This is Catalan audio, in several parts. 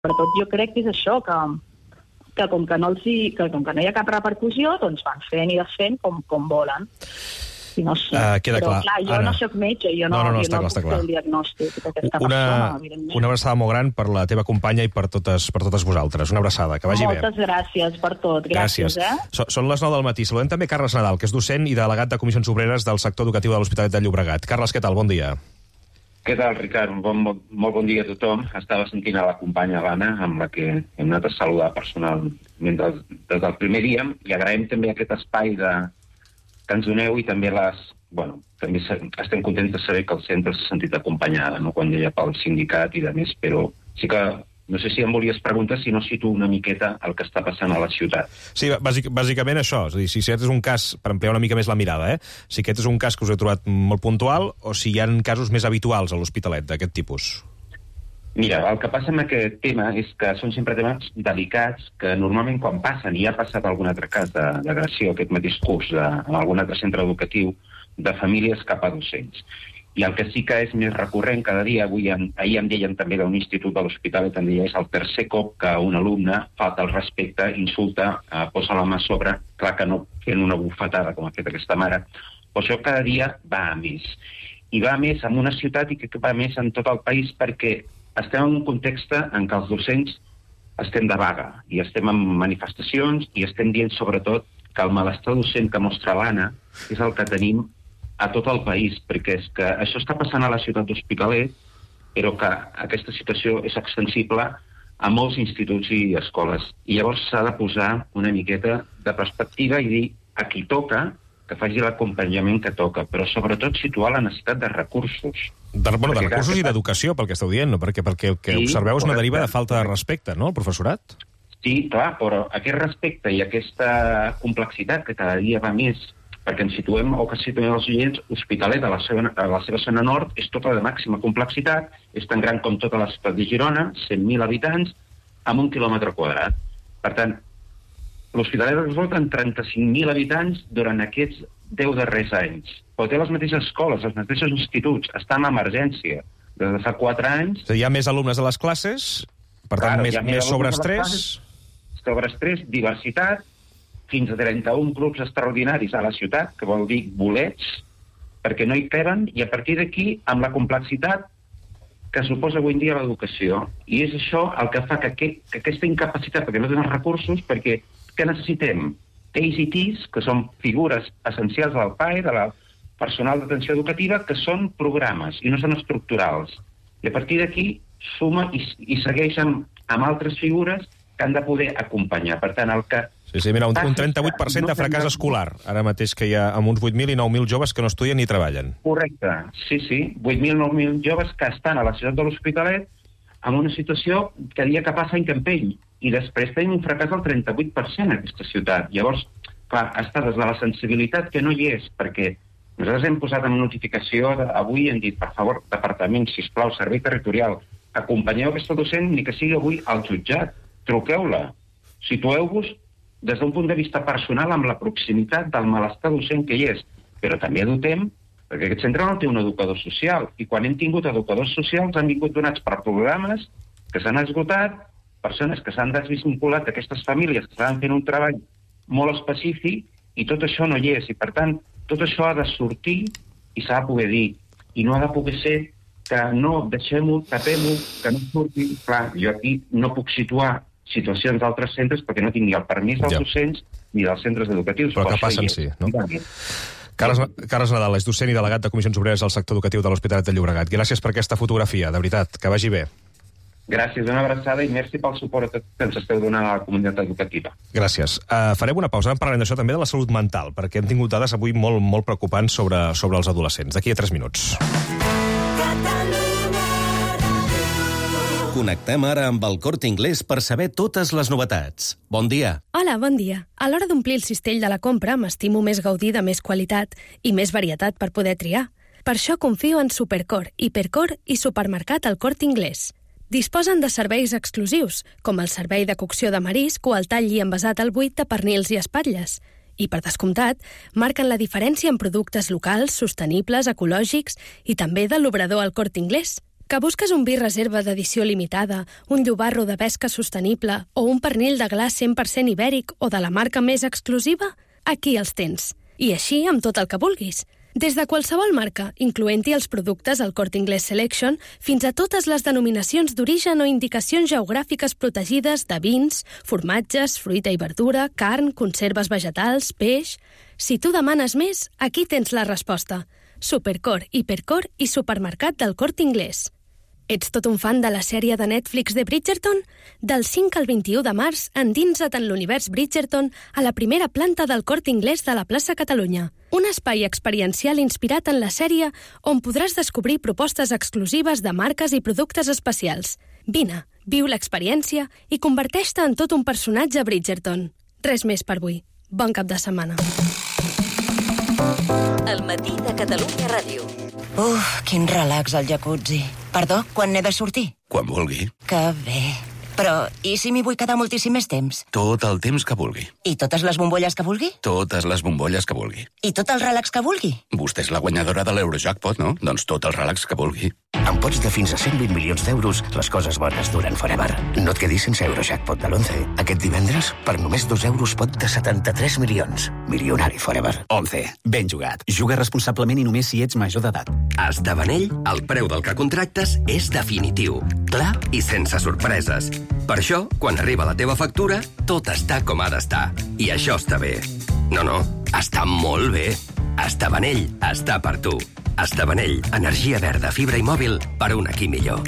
Sobretot jo crec que és això, que com que no hi ha cap repercussió, doncs van fent i desfent com volen. I no sé. Queda però clar. jo no soc metge, jo no està puc clar. fer el diagnòstic d'aquesta persona, evidentment. Una abraçada molt gran per la teva companya i per totes vosaltres. Una abraçada, que vagi bé. Moltes gràcies per tot. Gràcies. Són les 9 del matí. Saludem també Carles Nadal, que és docent i delegat de Comissions Obreres del sector educatiu de l'Hospitalet de Llobregat. Carles, què tal? Bon dia. Què tal, Ricard? Molt bon dia a tothom. Estava sentint a la companya l'Anna, amb la que hem anat a saludar personalment des del primer dia, i agraïm també aquest espai que ens doneu i també també estem contents de saber que el centre s'ha sentit acompanyada, no? Quan deia pel sindicat i de més, però sí que no sé si em volies preguntar si no situo una miqueta el que està passant a la ciutat. Sí, bàsicament això. És a dir, si aquest és un cas, per ampliar una mica més la mirada, si aquest és un cas que us he trobat molt puntual o si hi ha casos més habituals a l'Hospitalet d'aquest tipus. Mira, el que passa amb aquest tema és que són sempre temes delicats que normalment quan passen, i ha passat algun altre cas d'agressió aquest mateix curs en algun altre centre educatiu, de famílies cap a docents. I el que sí que és més recurrent cada dia, ahir em deien també d'un institut de l'Hospitalet, em deia, és el tercer cop que un alumne falta el respecte, insulta, posa la mà a sobre, clar que no fent una bufetada com ha fet aquesta mare, però això cada dia va a més. I va a més en una ciutat i que va a més en tot el país perquè estem en un context en què els docents estem de vaga i estem en manifestacions i estem dient sobretot que el malestar docent que mostra l'Anna és el que tenim a tot el país, perquè és que això està passant a la ciutat d'Hospitalet, però que aquesta situació és extensible a molts instituts i escoles. I llavors s'ha de posar una miqueta de perspectiva i dir a qui toca que faci l'acompanyament que toca, però sobretot situar la necessitat de recursos. De recursos i d'educació, pel que esteu dient, no? Perquè el que observeu és una deriva de falta de respecte, no?, al professorat? Sí, clar, però aquest respecte i aquesta complexitat que cada dia va més, perquè ens situem, o que situem els oients, Hospitalet, a la seva zona nord, és tota de màxima complexitat, és tan gran com tota la ciutat de Girona, 100.000 habitants, amb 1 quilòmetre quadrat. Per tant, l'Hospitalet ha resolt en 35.000 habitants durant aquests 10 darrers anys. Però té les mateixes escoles, els mateixos instituts, està en emergència des de fa 4 anys. Hi ha més alumnes a les classes, per tant, més sobreestrès. Sobreestrès, diversitat, fins a 31 grups extraordinaris a la ciutat, que vol dir bolets, perquè no hi caben, i a partir d'aquí, amb la complexitat que suposa avui en dia l'educació. I és això el que fa que aquesta incapacitat, perquè no tenen recursos, perquè què necessitem? Teis i tis, que són figures essencials del PAE, de la personal d'atenció educativa, que són programes i no són estructurals. I a partir d'aquí suma i segueix amb altres figures que han de poder acompanyar. Per tant, el que... Sí, mira, un 38% de fracàs escolar, ara mateix que hi ha amb uns 8.000 i 9.000 joves que no estudien ni treballen. Correcte, sí, 8.000 i 9.000 joves que estan a la ciutat de l'Hospitalet en una situació que dia que passa any que empeny, i després tenim un fracàs del 38% en aquesta ciutat. Llavors, clar, està des de la sensibilitat que no hi és, perquè nosaltres hem posat en notificació avui, hem dit, per favor, departament, sisplau, servei territorial, acompanyeu aquesta docent, ni que sigui avui al jutjat, truqueu-la, situeu-vos des d'un punt de vista personal amb la proximitat del malestar docent que hi és, però també dotem, perquè aquest centre no té un educador social, i quan hem tingut educadors socials han vingut donats per programes que s'han esgotat, persones que s'han desvinculat d'aquestes famílies que estaven fent un treball molt específic, i tot això no hi és, i per tant, tot això ha de sortir i s'ha de poder dir, i no ha de poder ser que no, deixem-ho, tapem-ho, que no surti. Clar, jo aquí no puc situar situacions d'altres centres perquè no tinc ni el permís dels docents ni dels centres educatius. Però que passen, sí, no? Carles Nadal és docent i delegat de Comissions Obreres al sector educatiu de l'Hospitalet de Llobregat. Gràcies per aquesta fotografia, de veritat, que vagi bé. Gràcies, una abraçada i merci pel suport que ens esteu donant a la comunitat educativa. Gràcies. Farem una pausa, parlarem d'això també de la salut mental, perquè hem tingut dades avui molt preocupants sobre els adolescents. D'aquí a 3 minuts. Connectem ara amb el Corte Inglés per saber totes les novetats. Bon dia. Hola, bon dia. A l'hora d'omplir el cistell de la compra m'estimo més gaudir de més qualitat i més varietat per poder triar. Per això confio en Supercor, Hipercor i Supermercat El Corte Inglés. Disposen de serveis exclusius, com el servei de cocció de marisc o el tall i envasat al buit de pernils i espatlles. I, per descomptat, marquen la diferència en productes locals, sostenibles, ecològics i també de l'obrador El Corte Inglés. Que busques un vi reserva d'edició limitada, un llobarro de pesca sostenible o un pernil de gla 100% ibèric o de la marca més exclusiva? Aquí els tens. I així amb tot el que vulguis. Des de qualsevol marca, incloent-hi els productes al Corte Inglés Selection, fins a totes les denominacions d'origen o indicacions geogràfiques protegides de vins, formatges, fruita i verdura, carn, conserves vegetals, peix... Si tu demanes més, aquí tens la resposta. Supercor, Hipercor i Supermercat del Corte Inglés. Ets tot un fan de la sèrie de Netflix de Bridgerton? Del 5 al 21 de març, endinsa't en l'univers Bridgerton a la primera planta del Corte Inglés de la plaça Catalunya. Un espai experiencial inspirat en la sèrie on podràs descobrir propostes exclusives de marques i productes especials. Vine, viu l'experiència i converteix-te en tot un personatge Bridgerton. Res més per avui. Bon cap de setmana. El matí de Catalunya Ràdio. Quin relax al jacuzzi. Perdó, quan n'he de sortir? Quan vulgui. Que bé. Però, i si m'hi vull quedar moltíssim més temps? Tot el temps que vulgui. I totes les bombolles que vulgui? Totes les bombolles que vulgui. I tot el relax que vulgui? Vostè és la guanyadora de l'Eurojackpot, no? Doncs tot el relax que vulgui. Amb pots de fins a 120 milions d'euros, les coses bones duren forever. No et quedis sense Eurojackpot de l'11. Aquest divendres, per només 2 euros, pot de 73 milions. Milionari forever. 11. Ben jugat. Juga responsablement i només si ets major d'edat. A Estabanell, el preu del que contractes és definitiu, clar i sense sorpreses. Per això, quan arriba la teva factura, tot està com ha d'estar. I això està bé. No, està molt bé. Estabanell està per tu. Estabanell, energia verda, fibra i mòbil per un aquí millor.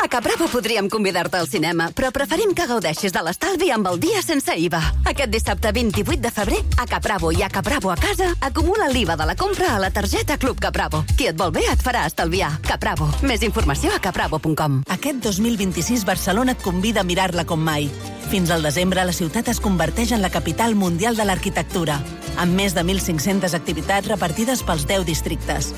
A Capravo podríem convidar-te al cinema, però preferim que gaudeixis de l'estalvi amb el dia sense IVA. Aquest dissabte 28 de febrer, a Capravo i a Capravo a casa, acumula l'IVA de la compra a la targeta Club Capravo. Qui et vol bé et farà estalviar. Capravo. Més informació a capravo.com. Aquest 2026 Barcelona et convida a mirar-la com mai. Fins al desembre, la ciutat es converteix en la capital mundial de l'arquitectura, amb més de 1.500 activitats repartides pels 10 districtes.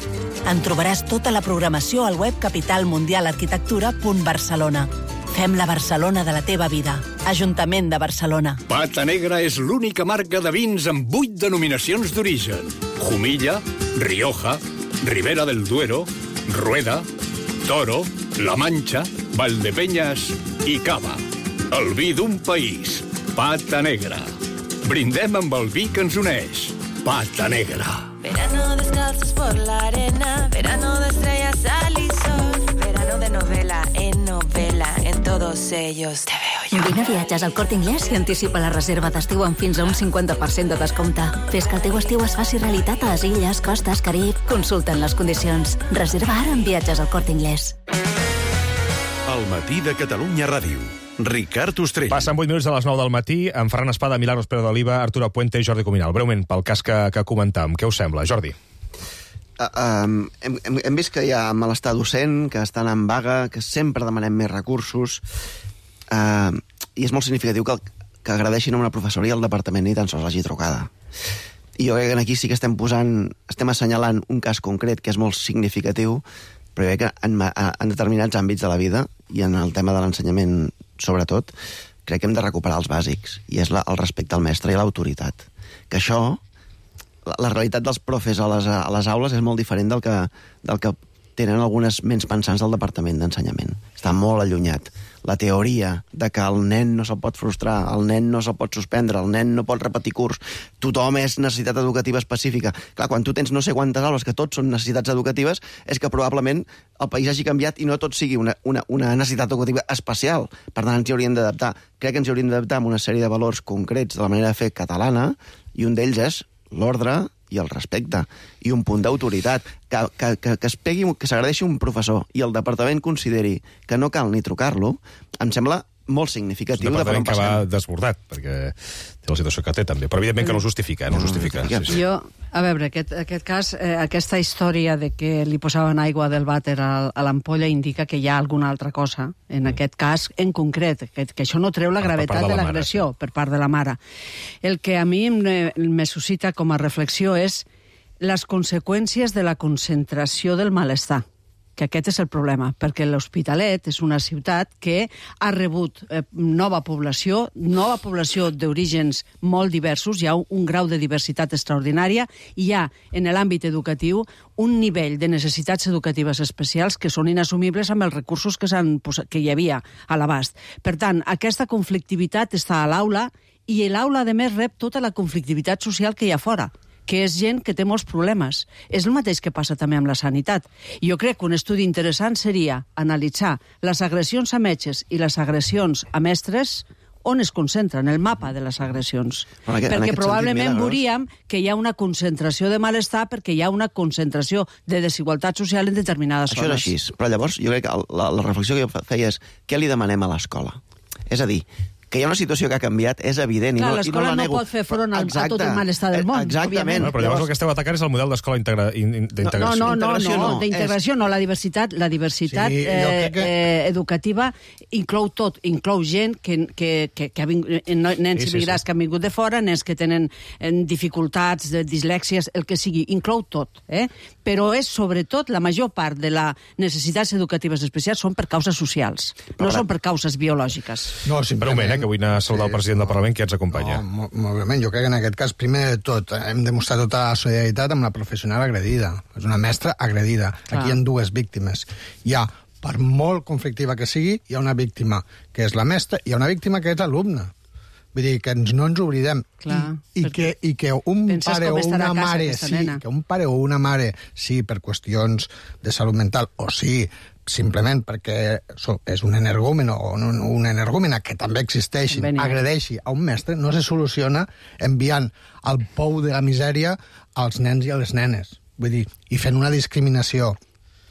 En trobaràs tota la programació al web capitalmundialarquitectura.barcelona. Fem la Barcelona de la teva vida. Ajuntament de Barcelona. Pata Negra és l'única marca de vins amb 8 denominacions d'origen. Jumilla, Rioja, Ribera del Duero, Rueda, Toro, La Mancha, Valdepeñas i Cava. El vi d'un país. Pata Negra. Brindem amb el vi que ens uneix. Pata Negra. Verano descalzos por la arena, verano de estrellas, sal y sol, verano de novela, en todos ellos te veo yo. Vine a viatges al Corte Inglés i anticipa la reserva d'estiu amb fins a un 50% de descompte. Fes que el teu estiu es faci realitat a les illes, costes, Carib. Consulta'n les condicions. Reserva ara en viatges al Corte Inglés. El matí de Catalunya Ràdio. Ricard Ostrell. Passen 8 minuts de les 9 del matí, amb Ferran Espada, Milagros Pérez d'Oliva, Arturo Puente i Jordi Cuminal. Breument, pel cas que comentàvem. Què us sembla, Jordi? Hem vist que hi ha malestar docent, que estan en vaga, que sempre demanem més recursos, i és molt significatiu que agradeixin a una professora i al departament ni tan sols hagi trucada. I jo crec que aquí sí que estem assenyalant un cas concret que és molt significatiu, però jo crec que en determinats àmbits de la vida, i en el tema de l'ensenyament sobretot, crec que hem de recuperar els bàsics, i és el respecte al mestre i l'autoritat. Que això, la realitat dels profes a les aules és molt diferent del que tenen algunes ments pensants del Departament d'Ensenyament. Està molt allunyat. La teoria de que el nen no se'l pot frustrar, el nen no se'l pot suspendre, el nen no pot repetir curs, tothom és necessitat educativa específica. Clar, quan tu tens no sé quantes aules que tots són necessitats educatives, és que probablement el país hagi canviat i no tot sigui una necessitat educativa especial. Per tant, ens hi hauríem d'adaptar. Crec que ens hi hauríem d'adaptar amb una sèrie de valors concrets de la manera de fer catalana, i un d'ells és l'ordre i el respecte, i un punt d'autoritat, que s'agradeixi un professor i el departament consideri que no cal ni trucar-lo, em sembla molt significatiu. És un departament que va desbordat, perquè té la situació que té, també. Però, evidentment, que no ho justifica. No ho justifica. Sí. Jo, a veure, aquest cas, aquesta història de que li posaven aigua del vàter a l'ampolla indica que hi ha alguna altra cosa, en aquest cas en concret, que això no treu la gravetat de l'agressió per part de la mare. El que a mi me suscita com a reflexió és les conseqüències de la concentració del malestar. que aquest és el problema, perquè l'Hospitalet és una ciutat que ha rebut nova població d'orígens molt diversos, hi ha un grau de diversitat extraordinària, i hi ha, en l'àmbit educatiu, un nivell de necessitats educatives especials que són inassumibles amb els recursos que hi havia a l'abast. Per tant, aquesta conflictivitat està a l'aula, i l'aula, a més, rep tota la conflictivitat social que hi ha fora, que és gent que té molts problemes. És el mateix que passa també amb la sanitat. Jo crec que un estudi interessant seria analitzar les agressions a metges i les agressions a mestres, on es concentren, el mapa de les agressions. Perquè probablement veuríem que hi ha una concentració de malestar perquè hi ha una concentració de desigualtat social en determinades zones. Això és així, però llavors jo crec que la reflexió que jo feia és què li demanem a l'escola? És a dir, que hi ha una situació que ha canviat, és evident. Clar, i l'escola no pot fer front a tot el malestar del món. Exactament. Però llavors el que esteu atacant és el model d'escola d'integració. No, d'integració no. La diversitat educativa inclou tot. Inclou gent que ha vingut, nens immigrats que han vingut de fora, nens que tenen dificultats, dislèxies, el que sigui. Inclou tot. Però és, sobretot, la major part de les necessitats educatives especials són per causes socials, no són per causes biològiques. No, simplement, que vull anar a saludar el president del Parlament, que ja ens acompanya. No, molt bé, jo crec que en aquest cas, primer de tot, hem demostrat tota la solidaritat amb la professional agredida. És una mestra agredida. Aquí hi ha dues víctimes. Hi ha, per molt conflictiva que sigui, hi ha una víctima que és la mestra i hi ha una víctima que és l'alumne. Vull dir, que no ens oblidem. I que un pare o una mare, que un pare o una mare, sí, per qüestions de salut mental, o sí, simplement perquè és un energúmen o una energúmena que també existeixi, agredeixi a un mestre, no se soluciona enviant al pou de la misèria als nens i a les nenes. Vull dir, i fent una discriminació.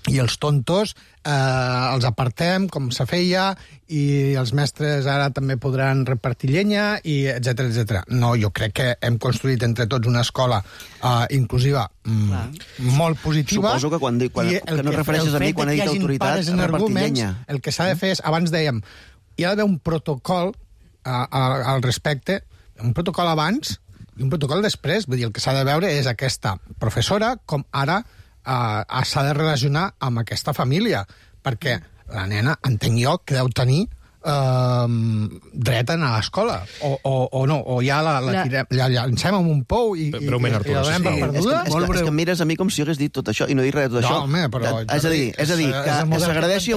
I els tontos els apartem, com se feia, i els mestres ara també podran repartir llenya, i etcètera, etcètera. No, jo crec que hem construït entre tots una escola inclusiva molt positiva. Suposo que quan no refereixes a mi, quan he dit autoritat, repartir llenya. El que s'ha de fer és, abans dèiem, hi ha d'haver un protocol al respecte, un protocol abans i un protocol després. Vull dir, el que s'ha de veure és aquesta professora, com ara s'ha de relacionar amb aquesta família, perquè la nena, entenc jo, que deu tenir dret a anar a l'escola, o no, o ja la llancem en un pou i la donem per perduda. És que em mires a mi com si jo hagués dit tot això i no he dit res de tot això. No, home, però... És a dir, que s'agradeixi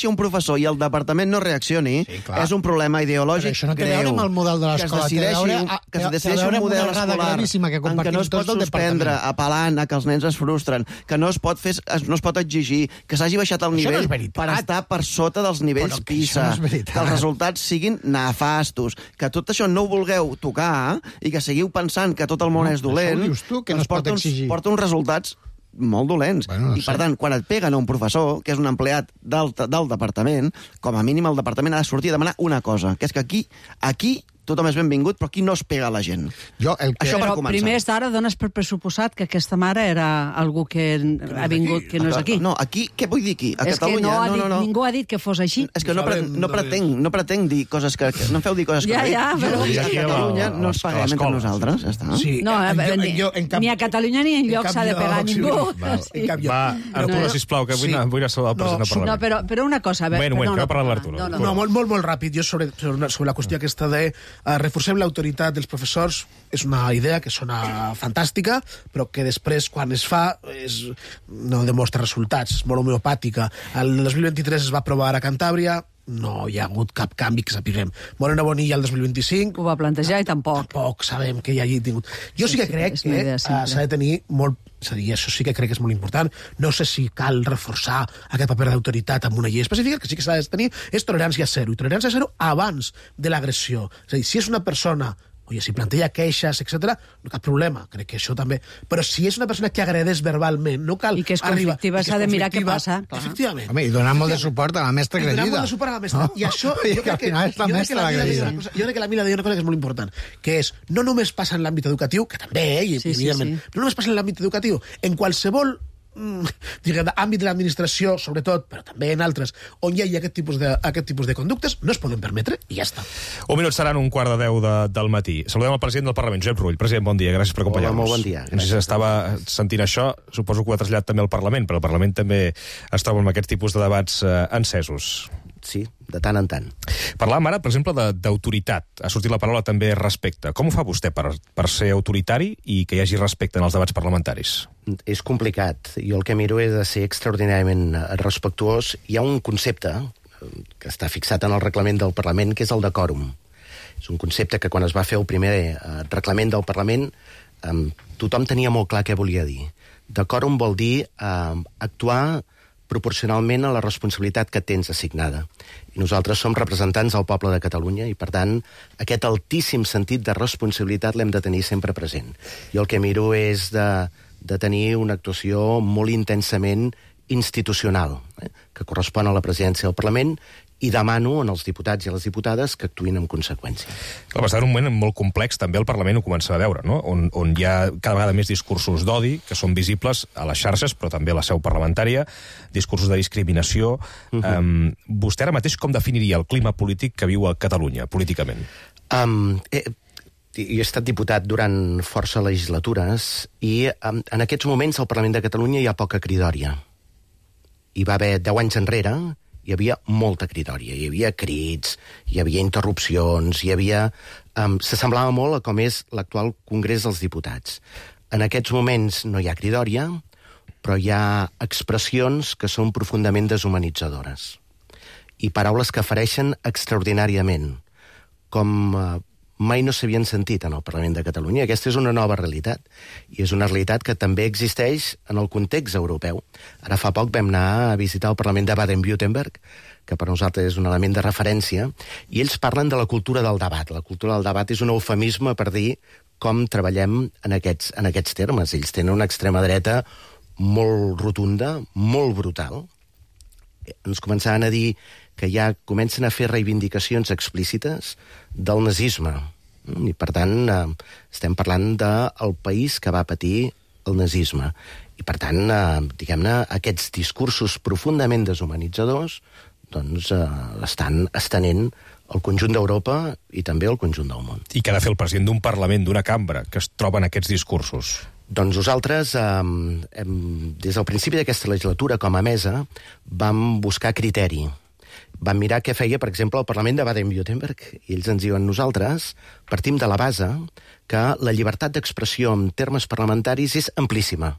un professor i el departament no reaccioni és un problema ideològic greu. Això no té a veure amb el model de l'escola, que es decideixi un model escolar en què no es pot suspendre apel·lant a que els nens es frustren, que no es pot exigir, que s'hagi baixat el nivell per estar per sota dels nivells PISA, que els resultats siguin nefastos, que tot això no ho vulgueu tocar i que seguiu pensant que tot el món és dolent, ens porta uns resultats molt dolents. I, per tant, quan et peguen a un professor, que és un empleat del departament, com a mínim el departament ha de sortir a demanar una cosa, que és que aquí tothom és benvingut, però aquí no es pega a la gent. Això per començar. Primer d'ara dones per pressuposat que aquesta mare era algú que ha vingut, que no és aquí. No, aquí, què vull dir aquí? A Catalunya, no. Ningú ha dit que fos així. És que no pretenc dir coses que... No em feu dir coses que... Ja, però... A Catalunya no ens paguem entre nosaltres, ja està. No, ni a Catalunya ni enlloc s'ha de pegar a ningú. Va, Arturo, sisplau, que vull anar a saludar el president del Parlament. No, però una cosa... Bueno, que va parlar l'Arturo. No, molt ràpid. Jo sobre la qüestió aquesta de reforcem l'autoritat dels professors és una idea que sona fantàstica, però que després, quan es fa, no demostra resultats, és molt homeopàtica. El 2023 es va aprovar a Cantàbria, no hi ha hagut cap canvi que sapiguem. Moreno Bonilla el 2025... Ho va plantejar i tampoc. Tampoc sabem que hi hagi tingut... Jo sí que crec que s'ha de tenir molt... És a dir, això sí que crec que és molt important. No sé si cal reforçar aquest paper d'autoritat amb una llei específica, que sí que s'ha de tenir és tolerància zero. I tolerància zero abans de l'agressió. És a dir, si és una persona... si planteja queixes, etc., no cap problema, crec que això també... Però si és una persona que agredeix verbalment, no cal... I que és conflictiva, s'ha de mirar què passa. Efectivament. Home, i donar molt de suport a la mestra agredida. I donar molt de suport a la mestra. I això... Jo crec que la Mila deia una cosa que és molt important, que és, no només passa en l'àmbit educatiu, que també, evidentment, no només passa en l'àmbit educatiu, en qualsevol àmbit de l'administració, sobretot, però també en altres, on hi ha aquest tipus de conductes, no es poden permetre i ja està. Un minut seran 1:15 del matí. Saludem el president del Parlament, Josep Rull. President, bon dia, gràcies per acompanyar-nos. Hola, molt bon dia. No sé si estava sentint això, suposo que ho ha traslladat també al Parlament, però el Parlament també es troba amb aquests tipus de debats encesos. Sí, de tant en tant. Parlàvem ara, per exemple, d'autoritat. Ha sortit la paraula també respecte. Com ho fa vostè per ser autoritari i que hi hagi respecte en els debats parlamentaris? És complicat. Jo el que miro és de ser extraordinàriament respectuós. Hi ha un concepte que està fixat en el reglament del Parlament, que és el de quòrum. És un concepte que quan es va fer el primer reglament del Parlament tothom tenia molt clar què volia dir. De quòrum vol dir actuar proporcionalment a la responsabilitat que tens assignada. I nosaltres som representants del poble de Catalunya i, per tant, aquest altíssim sentit de responsabilitat l'hem de tenir sempre present. Jo el que miro és de tenir una actuació molt intensament institucional, que correspon a la presidència del Parlament, i demano als diputats i a les diputades que actuïn en conseqüència. Va estar en un moment molt complex, també el Parlament ho comença a veure, no? On hi ha cada vegada més discursos d'odi, que són visibles a les xarxes, però també a la seu parlamentària, discursos de discriminació. Vostè ara mateix com definiria el clima polític que viu a Catalunya, políticament? Jo he estat diputat durant força legislatures i en aquests moments al Parlament de Catalunya hi ha poca cridòria. Hi va haver 10 anys enrere, hi havia molta cridòria, hi havia crits, hi havia interrupcions, hi havia... S'assemblava molt a com és l'actual Congrés dels Diputats. En aquests moments no hi ha cridòria, però hi ha expressions que són profundament deshumanitzadores i paraules que fereixen extraordinàriament, com mai no s'havien sentit en el Parlament de Catalunya. Aquesta és una nova realitat, i és una realitat que també existeix en el context europeu. Ara fa poc vam anar a visitar el Parlament de Baden-Württemberg, que per nosaltres és un element de referència, i ells parlen de la cultura del debat. La cultura del debat és un eufemisme per dir com treballem en aquests termes. Ells tenen una extrema dreta molt rotunda, molt brutal. Ens començaven a dir que ja comencen a fer reivindicacions explícites del nazisme. I, per tant, estem parlant del país que va patir el nazisme. I, per tant, diguem-ne, aquests discursos profundament deshumanitzadors doncs, estan estenent al conjunt d'Europa i també al conjunt del món. I què ha de fer el president d'un Parlament, d'una cambra, que es troba en aquests discursos? Doncs nosaltres, des del principi d'aquesta legislatura, com a mesa, vam buscar criteri. Vam mirar què feia, per exemple, el Parlament de Baden-Württemberg, i ells ens diuen: nosaltres partim de la base que la llibertat d'expressió en termes parlamentaris és amplíssima.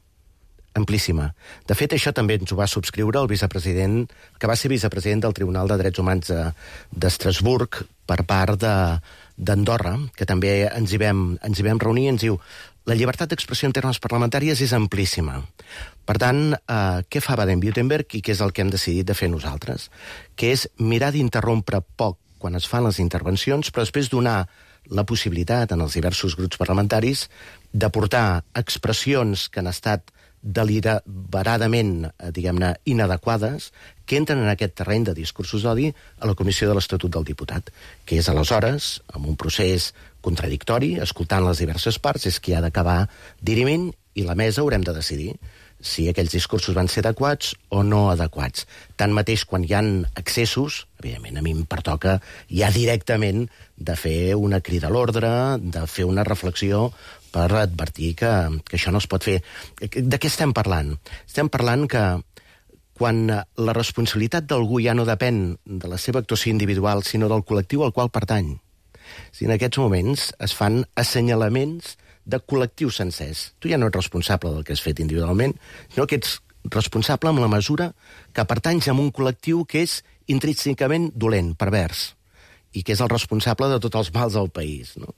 Amplíssima. De fet, això també ens ho va subscriure el vicepresident, que va ser vicepresident del Tribunal de Drets Humans d'Estrasburg per part d'Andorra, que també ens hi vam reunir, i ens diu: la llibertat d'expressió en termes parlamentaris és amplíssima. Per tant, què fa Baden-Württemberg i què és el que hem decidit de fer nosaltres? Que és mirar d'interrompre poc quan es fan les intervencions, però després donar la possibilitat en els diversos grups parlamentaris de portar expressions que han estat deliberadament, diguem-ne, inadequades, que entren en aquest terreny de discursos d'odi a la Comissió de l'Estatut del Diputat, que és aleshores, amb un procés contradictori, escoltant les diverses parts, és qui ha d'acabar dirimint, i la mesa haurem de decidir si aquells discursos van ser adequats o no adequats. Tanmateix, quan hi ha excessos, evidentment a mi em pertoca ja directament de fer una crida a l'ordre, de fer una reflexió per advertir que això no es pot fer. De què estem parlant? Estem parlant que quan la responsabilitat d'algú ja no depèn de la seva actuació individual, sinó del col·lectiu al qual pertany. Si en aquests moments es fan assenyalaments de col·lectius sencers. Tu ja no ets responsable del que has fet individualment, sinó que ets responsable amb la mesura que pertanys a un col·lectiu que és intrínsecament dolent, pervers, i que és el responsable de tots els mals del país. No?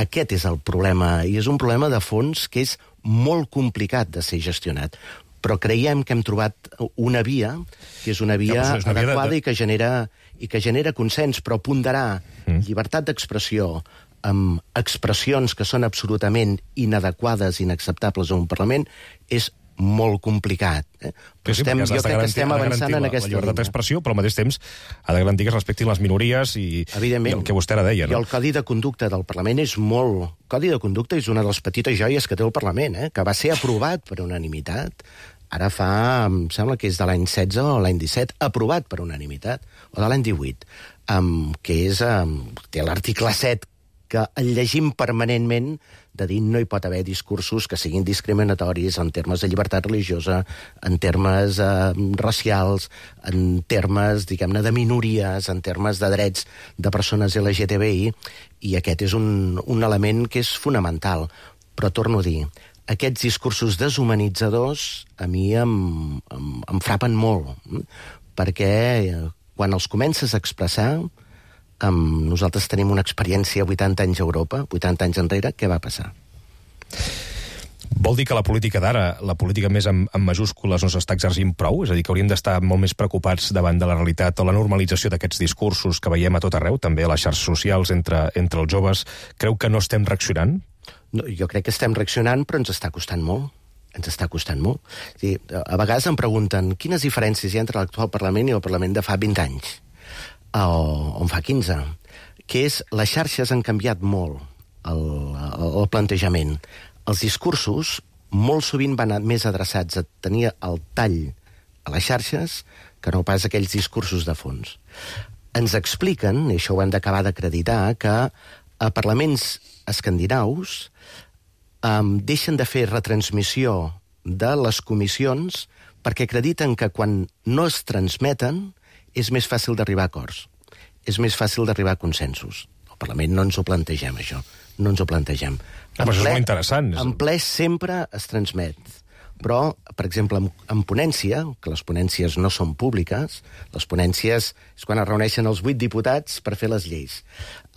Aquest és el problema, i és un problema de fons que és molt complicat de ser gestionat. Però creiem que hem trobat una via, que és una via adequada i que genera consens, però ponderar llibertat d'expressió amb expressions que són absolutament inadequades, inacceptables a un Parlament, és molt complicat. Però jo crec que estem avançant en aquesta línia. La llibertat d'expressió, però al mateix temps ha de garantir que es respectin les minories i el que vostè ara deia. I el Codi de Conducta del Parlament és molt... El Codi de Conducta és una de les petites joies que té el Parlament, que va ser aprovat per unanimitat ara em sembla que és de l'any 16 o l'any 17, aprovat per unanimitat, o de l'any 18, que és, té l'article 7, que el llegim permanentment, de dir no hi pot haver discursos que siguin discriminatoris en termes de llibertat religiosa, en termes racials, en termes, diguem-ne, de minories, en termes de drets de persones LGTBI, i aquest és un element que és fonamental. Però torno a dir, aquests discursos deshumanitzadors a mi em frapen molt, perquè quan els comences a expressar, nosaltres tenim una experiència 80 anys a Europa, 80 anys enrere, què va passar? Vol dir que la política d'ara, la política més amb majúscules, no s'està exercint prou? És a dir, que hauríem d'estar molt més preocupats davant de la realitat o la normalització d'aquests discursos que veiem a tot arreu, també a les xarxes socials, entre els joves. Creu que no estem reaccionant? No, jo crec que estem reaccionant, però ens està costant molt. Ens està costant molt. A vegades em pregunten quines diferències hi ha entre l'actual Parlament i el Parlament de fa 20 anys. O en fa 15, que és les xarxes han canviat molt el plantejament. Els discursos molt sovint van més adreçats a tenir el tall a les xarxes que no pas aquells discursos de fons. Ens expliquen, i això ho hem d'acabar d'acreditar, que a parlaments escandinaus deixen de fer retransmissió de les comissions perquè acrediten que quan no es transmeten és més fàcil d'arribar a acords, és més fàcil d'arribar a consensos. Al Parlament no ens ho plantegem, això. No ens ho plantegem. Però això és molt interessant. En ple sempre es transmet. Però, per exemple, en ponència, que les ponències no són públiques, les ponències és quan es reuneixen els 8 diputats per fer les lleis.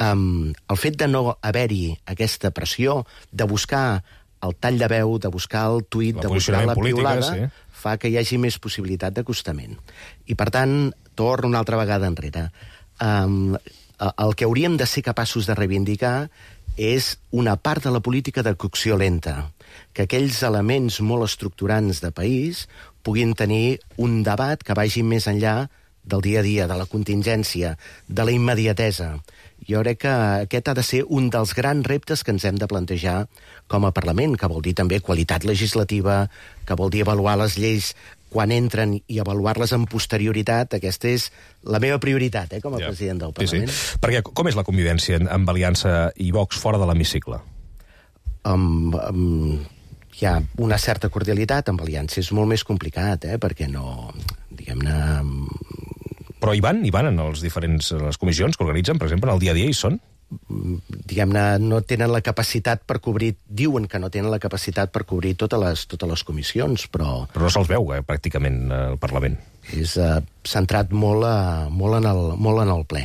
El fet de no haver-hi aquesta pressió, de buscar el tall de veu, de buscar el tuit, de buscar la piulada, fa que hi hagi més possibilitat d'acostament. I, per tant, torno una altra vegada enrere. El que hauríem de ser capaços de reivindicar és una part de la política de cocció lenta, que aquells elements molt estructurants de país puguin tenir un debat que vagi més enllà del dia a dia, de la contingència, de la immediatesa. Jo crec que aquest ha de ser un dels grans reptes que ens hem de plantejar com a Parlament, que vol dir també qualitat legislativa, que vol dir avaluar les lleis quan entren i avaluar-les amb posterioritat. Aquesta és la meva prioritat, com a president del Parlament. Sí. Perquè com és la convivència amb Aliança i Vox fora de l'hemicicle? Hi ha una certa cordialitat. Amb Aliança és molt més complicat, perquè no, diguem-ne... Però hi van en les diferents comissions que organitzen, per exemple, en el dia a dia hi són? Diguem-ne, no tenen la capacitat per cobrir... Diuen que no tenen la capacitat per cobrir totes les comissions, però... Però no se'ls veu, pràcticament, al Parlament. És centrat molt en el ple.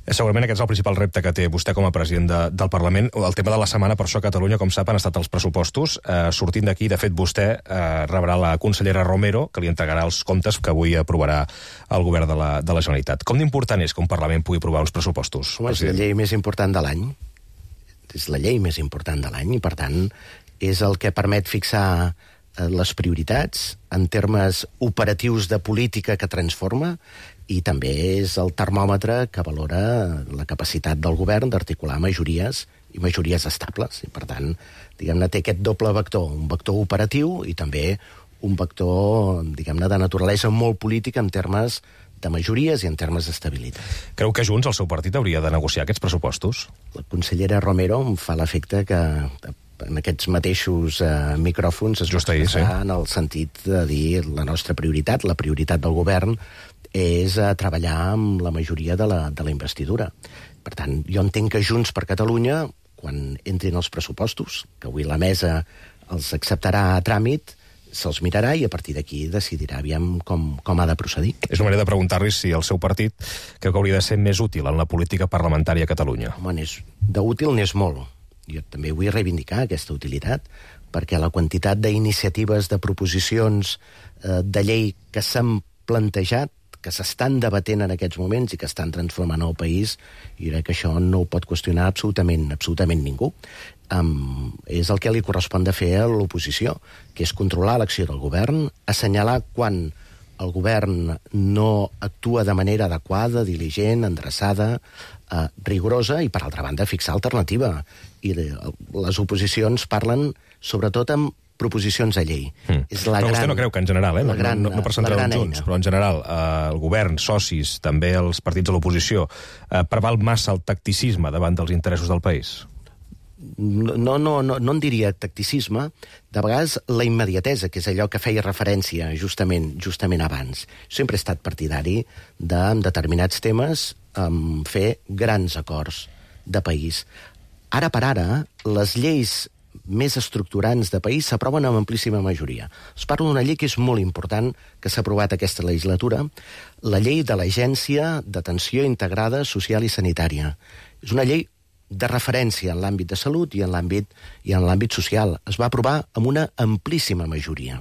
Segurament aquest és el principal repte que té vostè com a president del Parlament. El tema de la setmana, per això, a Catalunya, com sap, han estat els pressupostos. Sortint d'aquí, de fet, vostè rebrà la consellera Romero, que li entregarà els comptes que avui aprovarà el govern de la Generalitat. Com d'important és que un Parlament pugui aprovar uns pressupostos? Home, és la llei més important de l'any. És la llei més important de l'any i, per tant, és el que permet fixar les prioritats en termes operatius de política que transforma, i també és el termòmetre que valora la capacitat del govern d'articular majories i majories estables. I, per tant, diguem-ne, té aquest doble vector, un vector operatiu i també un vector, diguem-ne, de naturalesa molt política en termes de majories i en termes d'estabilitat. Creu que Junts, el seu partit, hauria de negociar aquests pressupostos? La consellera Romero em fa l'efecte que en aquests mateixos micròfons es expressarà en el sentit de dir la nostra prioritat, la prioritat del govern, és treballar amb la majoria de la investidura. Per tant, jo entenc que Junts per Catalunya, quan entrin els pressupostos, que avui la mesa els acceptarà a tràmit, se'ls mirarà i a partir d'aquí decidirà aviam com ha de procedir. És una manera de preguntar-li si el seu partit creu que hauria de ser més útil en la política parlamentària a Catalunya. Home, d'útil n'és molt. Jo també vull reivindicar aquesta utilitat, perquè la quantitat d'iniciatives, de proposicions de llei que s'han plantejat, que s'estan debatent en aquests moments i que estan transformant el país, i crec que això no ho pot qüestionar absolutament ningú. És el que li correspon de fer a l'oposició, que és controlar l'acció del govern, assenyalar quan el govern no actua de manera adequada, diligent, endreçada, rigorosa, i, per altra banda, fixar alternativa. I les oposicions parlen sobretot amb proposicions de llei. Però vostè no creu que en general, no per centrar en Junts, però en general el govern, socis, també els partits de l'oposició, preval massa el tacticisme davant dels interessos del país? No en diria tacticisme, de vegades la immediatesa, que és allò que feia referència justament abans. Sempre he estat partidari de, en determinats temes, fer grans acords de país. Ara per ara, les lleis més estructurants de país s'aproven amb amplíssima majoria. Es parla d'una llei que és molt important, que s'ha aprovat aquesta legislatura, la llei de l'Agència d'Atenció Integrada Social i Sanitària. És una llei de referència en l'àmbit de salut i en l'àmbit social. Es va aprovar amb una amplíssima majoria.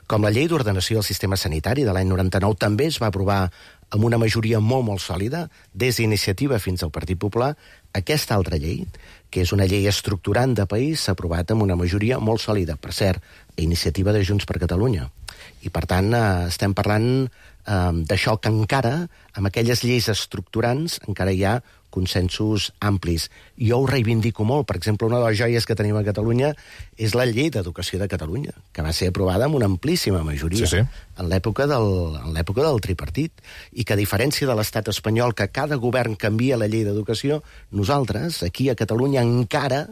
Com la llei d'ordenació del sistema sanitari de l'any 99 també es va aprovar amb una majoria molt sòlida, des d'Iniciativa fins al Partit Popular, aquesta altra llei, que és una llei estructurant de país, s'ha aprovat amb una majoria molt sòlida, per cert, a iniciativa de Junts per Catalunya. I, per tant, estem parlant d'això que encara, amb aquelles lleis estructurants, encara hi ha consensos amplis. Jo ho reivindico molt. Per exemple, una de les joies que tenim a Catalunya és la llei d'educació de Catalunya, que va ser aprovada amb una amplíssima majoria en l'època del tripartit, i que, a diferència de l'estat espanyol, que cada govern canvia la llei d'educació, nosaltres, aquí a Catalunya, encara,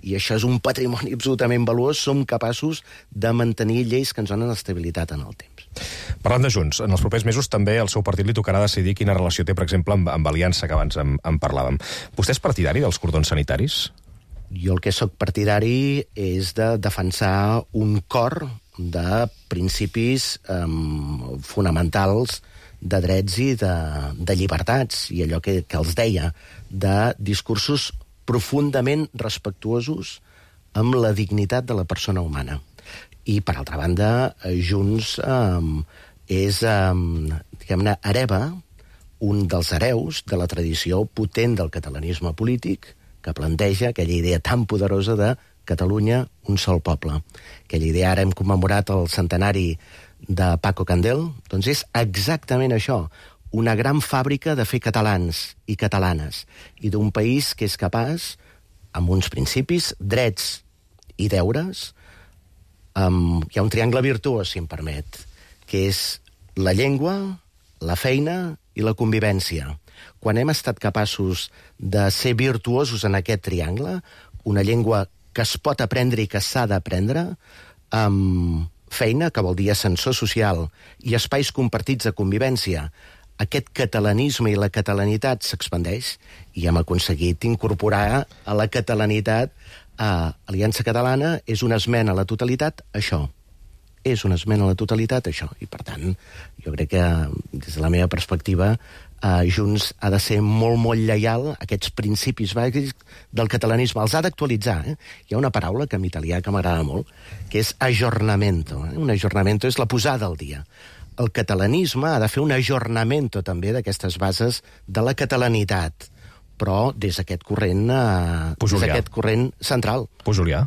i això és un patrimoni absolutament valuós, som capaços de mantenir lleis que ens donen estabilitat en el temps. Parlant de Junts, en els propers mesos també el seu partit li tocarà decidir quina relació té, per exemple, amb Aliança, que abans en parlàvem. Vostè és partidari dels cordons sanitaris? Jo el que sóc partidari és de defensar un cor de principis fonamentals de drets i de llibertats, i allò que els deia, de discursos profundament respectuosos amb la dignitat de la persona humana. I, per altra banda, Junts és, diguem-ne, hereva un dels hereus de la tradició potent del catalanisme polític, que planteja aquella idea tan poderosa de Catalunya, un sol poble. Aquella idea, ara hem commemorat el centenari de Paco Candel, doncs és exactament això, una gran fàbrica de fer catalans i catalanes, i d'un país que és capaç, amb uns principis, drets i deures. Hi ha un triangle virtuós, si em permet, que és la llengua, la feina i la convivència. Quan hem estat capaços de ser virtuosos en aquest triangle, una llengua que es pot aprendre i que s'ha d'aprendre, feina, que vol dir ascensor social, i espais compartits de convivència, aquest catalanisme i la catalanitat s'expandeix, i hem aconseguit incorporar a la catalanitat Aliança Catalana. És una esmena a la totalitat, això. És una esmena a la totalitat, això. I, per tant, jo crec que, des de la meva perspectiva, Junts ha de ser molt lleial a aquests principis bàsics del catalanisme. Els ha d'actualitzar. Hi ha una paraula que en italià que m'agrada molt, que és aggiornamento. Un aggiornamento és la posada al dia. El catalanisme ha de fer un aggiornamento també d'aquestes bases de la catalanitat, però des d'aquest corrent, des d'aquest corrent central. Pujolià.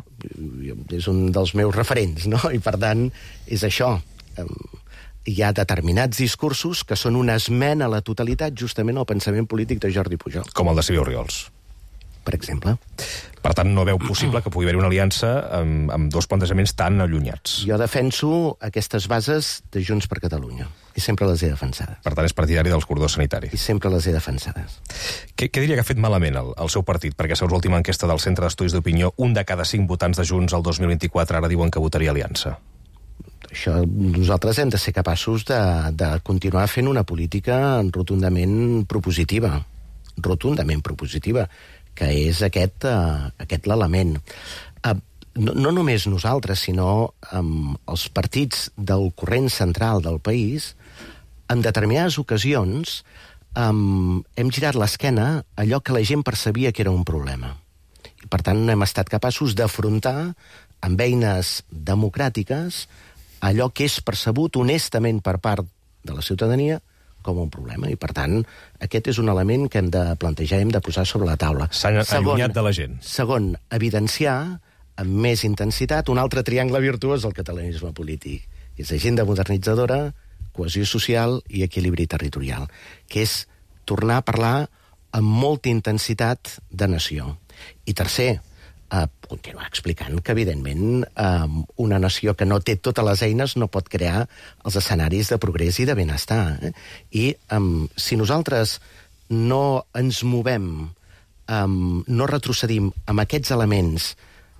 És un dels meus referents, no? I, per tant, és això. Hi ha determinats discursos que són una esmena a la totalitat justament al pensament polític de Jordi Pujol. Com el de Silvio Oriols. Per exemple. Per tant, no veu possible que pugui haver una aliança amb dos plantejaments tan allunyats. Jo defenso aquestes bases de Junts per Catalunya, i sempre les he defensades. Per tant, és partidari dels cordons sanitaris. I sempre les he defensades. Què diria que ha fet malament el seu partit? Perquè, segons l'última enquesta del Centre d'Estudis d'Opinió, 1 de cada 5 votants de Junts el 2024 ara diuen que votaria aliança. Això, nosaltres hem de ser capaços de continuar fent una política rotundament propositiva, que és aquest l'element. No només nosaltres, sinó els partits del corrent central del país, en determinades ocasions hem girat l'esquena a allò que la gent percebia que era un problema. I, per tant, hem estat capaços d'afrontar amb eines democràtiques allò que és percebut honestament per part de la ciutadania com un problema. I, per tant, aquest és un element que hem de plantejar, hem de posar sobre la taula. S'han allunyat de la gent. Segon, evidenciar amb més intensitat un altre triangle virtuós del catalanisme polític. És agenda modernitzadora, cohesió social i equilibri territorial, que és tornar a parlar amb molta intensitat de nació. I tercer, continuar explicant que, evidentment, una nació que no té totes les eines no pot crear els escenaris de progrés i de benestar. I si nosaltres no ens movem, no retrocedim amb aquests elements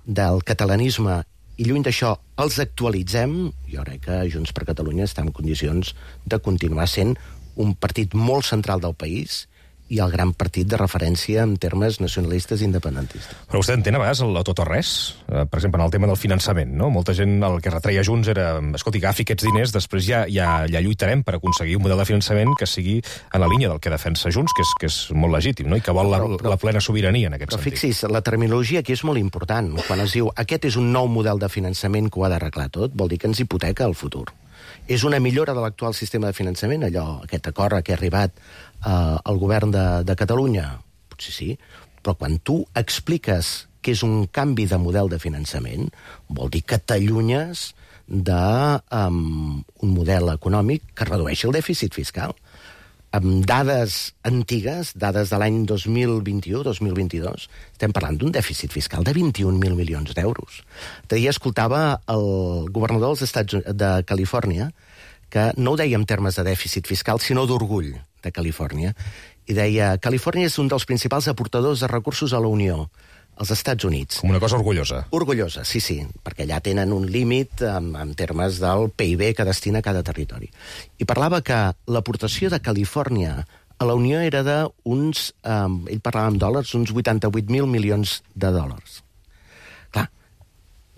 del catalanisme i lluny d'això els actualitzem, jo crec que Junts per Catalunya està en condicions de continuar sent un partit molt central del país i el gran partit de referència en termes nacionalistes i independentistes. Però vostè entén a vegades el tot o res? Per exemple, en el tema del finançament, no? Molta gent el que retreia Junts era, escolti, agafi aquests diners, després ja lluitarem per aconseguir un model de finançament que sigui en la línia del que defensa Junts, que és molt legítim, no? I que vol la plena sobirania en aquest sentit. Però fixi's, la terminologia aquí és molt important. Quan es diu aquest és un nou model de finançament que ho ha d'arreglar tot, vol dir que ens hipoteca el futur. És una millora de l'actual sistema de finançament, aquest acord a què ha arribat el govern de Catalunya? Potser sí, però quan tu expliques que és un canvi de model de finançament, vol dir que t'allunyes d'un model econòmic que redueixi el dèficit fiscal. Amb dades antigues, dades de l'any 2021-2022, estem parlant d'un dèficit fiscal de 21.000 milions d'euros. D'ahir escoltava el governador dels Estats de Califòrnia, que no ho deia en termes de dèficit fiscal, sinó d'orgull de Califòrnia, i deia Califòrnia és un dels principals aportadors de recursos a la Unió, als Estats Units. Com una cosa orgullosa. Orgullosa, sí, perquè allà tenen un límit en termes del PIB que destina cada territori. I parlava que l'aportació de Califòrnia a la Unió era d'uns, ell parlava en dòlars, uns 88.000 milions de dòlars. Clar,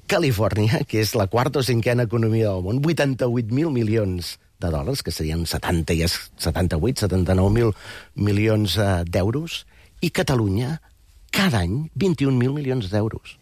Califòrnia, que és la quarta o cinquena economia del món, 88.000 milions de dòlars, que serien 79.000 milions d'euros, i Catalunya, cada any, 21.000 milions d'euros.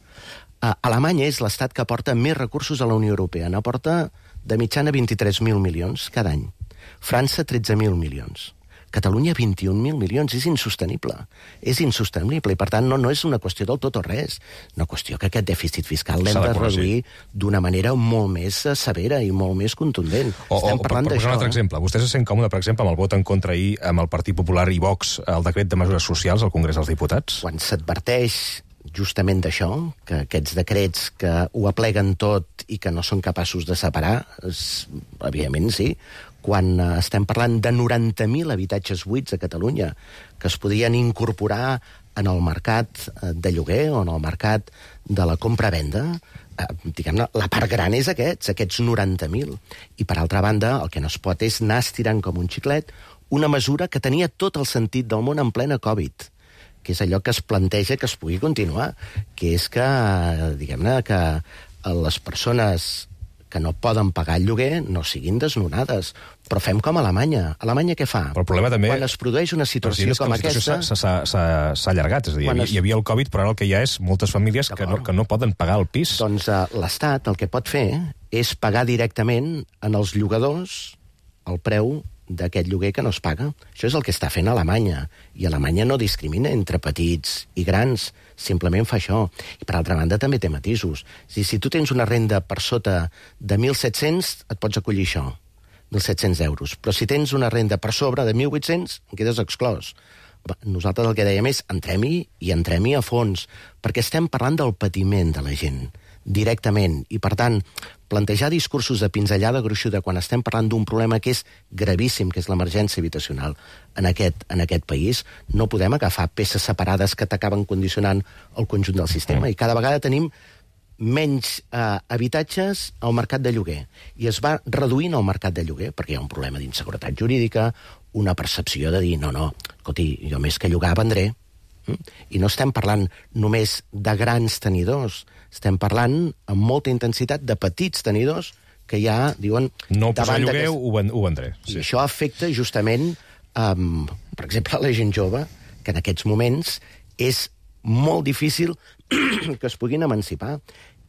Alemanya és l'estat que aporta més recursos a la Unió Europea. N'aporta de mitjana 23.000 milions cada any. França, 13.000 milions. Catalunya, 21.000 milions. És insostenible. És insostenible. I, per tant, no és una qüestió del tot o res. Una qüestió que aquest dèficit fiscal l'hem de reduir d'una manera molt més severa i molt més contundent. Estem parlant d'això. Per un altre exemple. Vostè se sent còmode, per exemple, amb el vot en contra ahir amb el Partit Popular i Vox al decret de mesures socials al Congrés dels Diputats? Quan s'adverteix justament d'això, que aquests decrets que ho apleguen tot i que no són capaços de separar, evidentment sí. Quan estem parlant de 90.000 habitatges buits a Catalunya que es podien incorporar en el mercat de lloguer o en el mercat de la compra-venda, diguem-ne, la part gran és aquests 90.000. I, per altra banda, el que no es pot és anar estirant com un xiclet una mesura que tenia tot el sentit del món en plena Covid, que és allò que es planteja que es pugui continuar, que és que, diguem-ne, que les persones que no poden pagar el lloguer no siguin desnonades. Però fem com a Alemanya. Alemanya què fa? Però el problema també... Quan es produeix una situació com aquesta... S'ha allargat, és a dir, hi havia el Covid, però ara el que hi ha és moltes famílies que no poden pagar el pis. Doncs l'Estat el que pot fer és pagar directament en els llogadors el preu d'aquest lloguer que no es paga. Això és el que està fent Alemanya. I Alemanya no discrimina entre petits i grans, simplement fa això. I, per altra banda, també té matisos. Si tu tens una renda per sota de 1.700, et pots acollir això, 1.700 euros. Però si tens una renda per sobre de 1.800, en quedes exclòs. Nosaltres el que dèiem és entrem-hi i entrem-hi a fons, perquè estem parlant del patiment de la gent, directament. I, per tant, plantejar discursos de pinzellada gruixuda quan estem parlant d'un problema que és gravíssim, que és l'emergència habitacional en aquest país, no podem agafar peces separades que t'acaben condicionant el conjunt del sistema. I cada vegada tenim menys habitatges al mercat de lloguer. I es va reduint el mercat de lloguer perquè hi ha un problema d'inseguretat jurídica, una percepció de dir, no, escolti, jo més que llogar vendré. I no estem parlant només de grans tenidors, estem parlant amb molta intensitat de petits tenidors que ja diuen... No posar lloguer, ho vendré. Sí. I això afecta justament, per exemple, la gent jove, que en aquests moments és molt difícil que es puguin emancipar.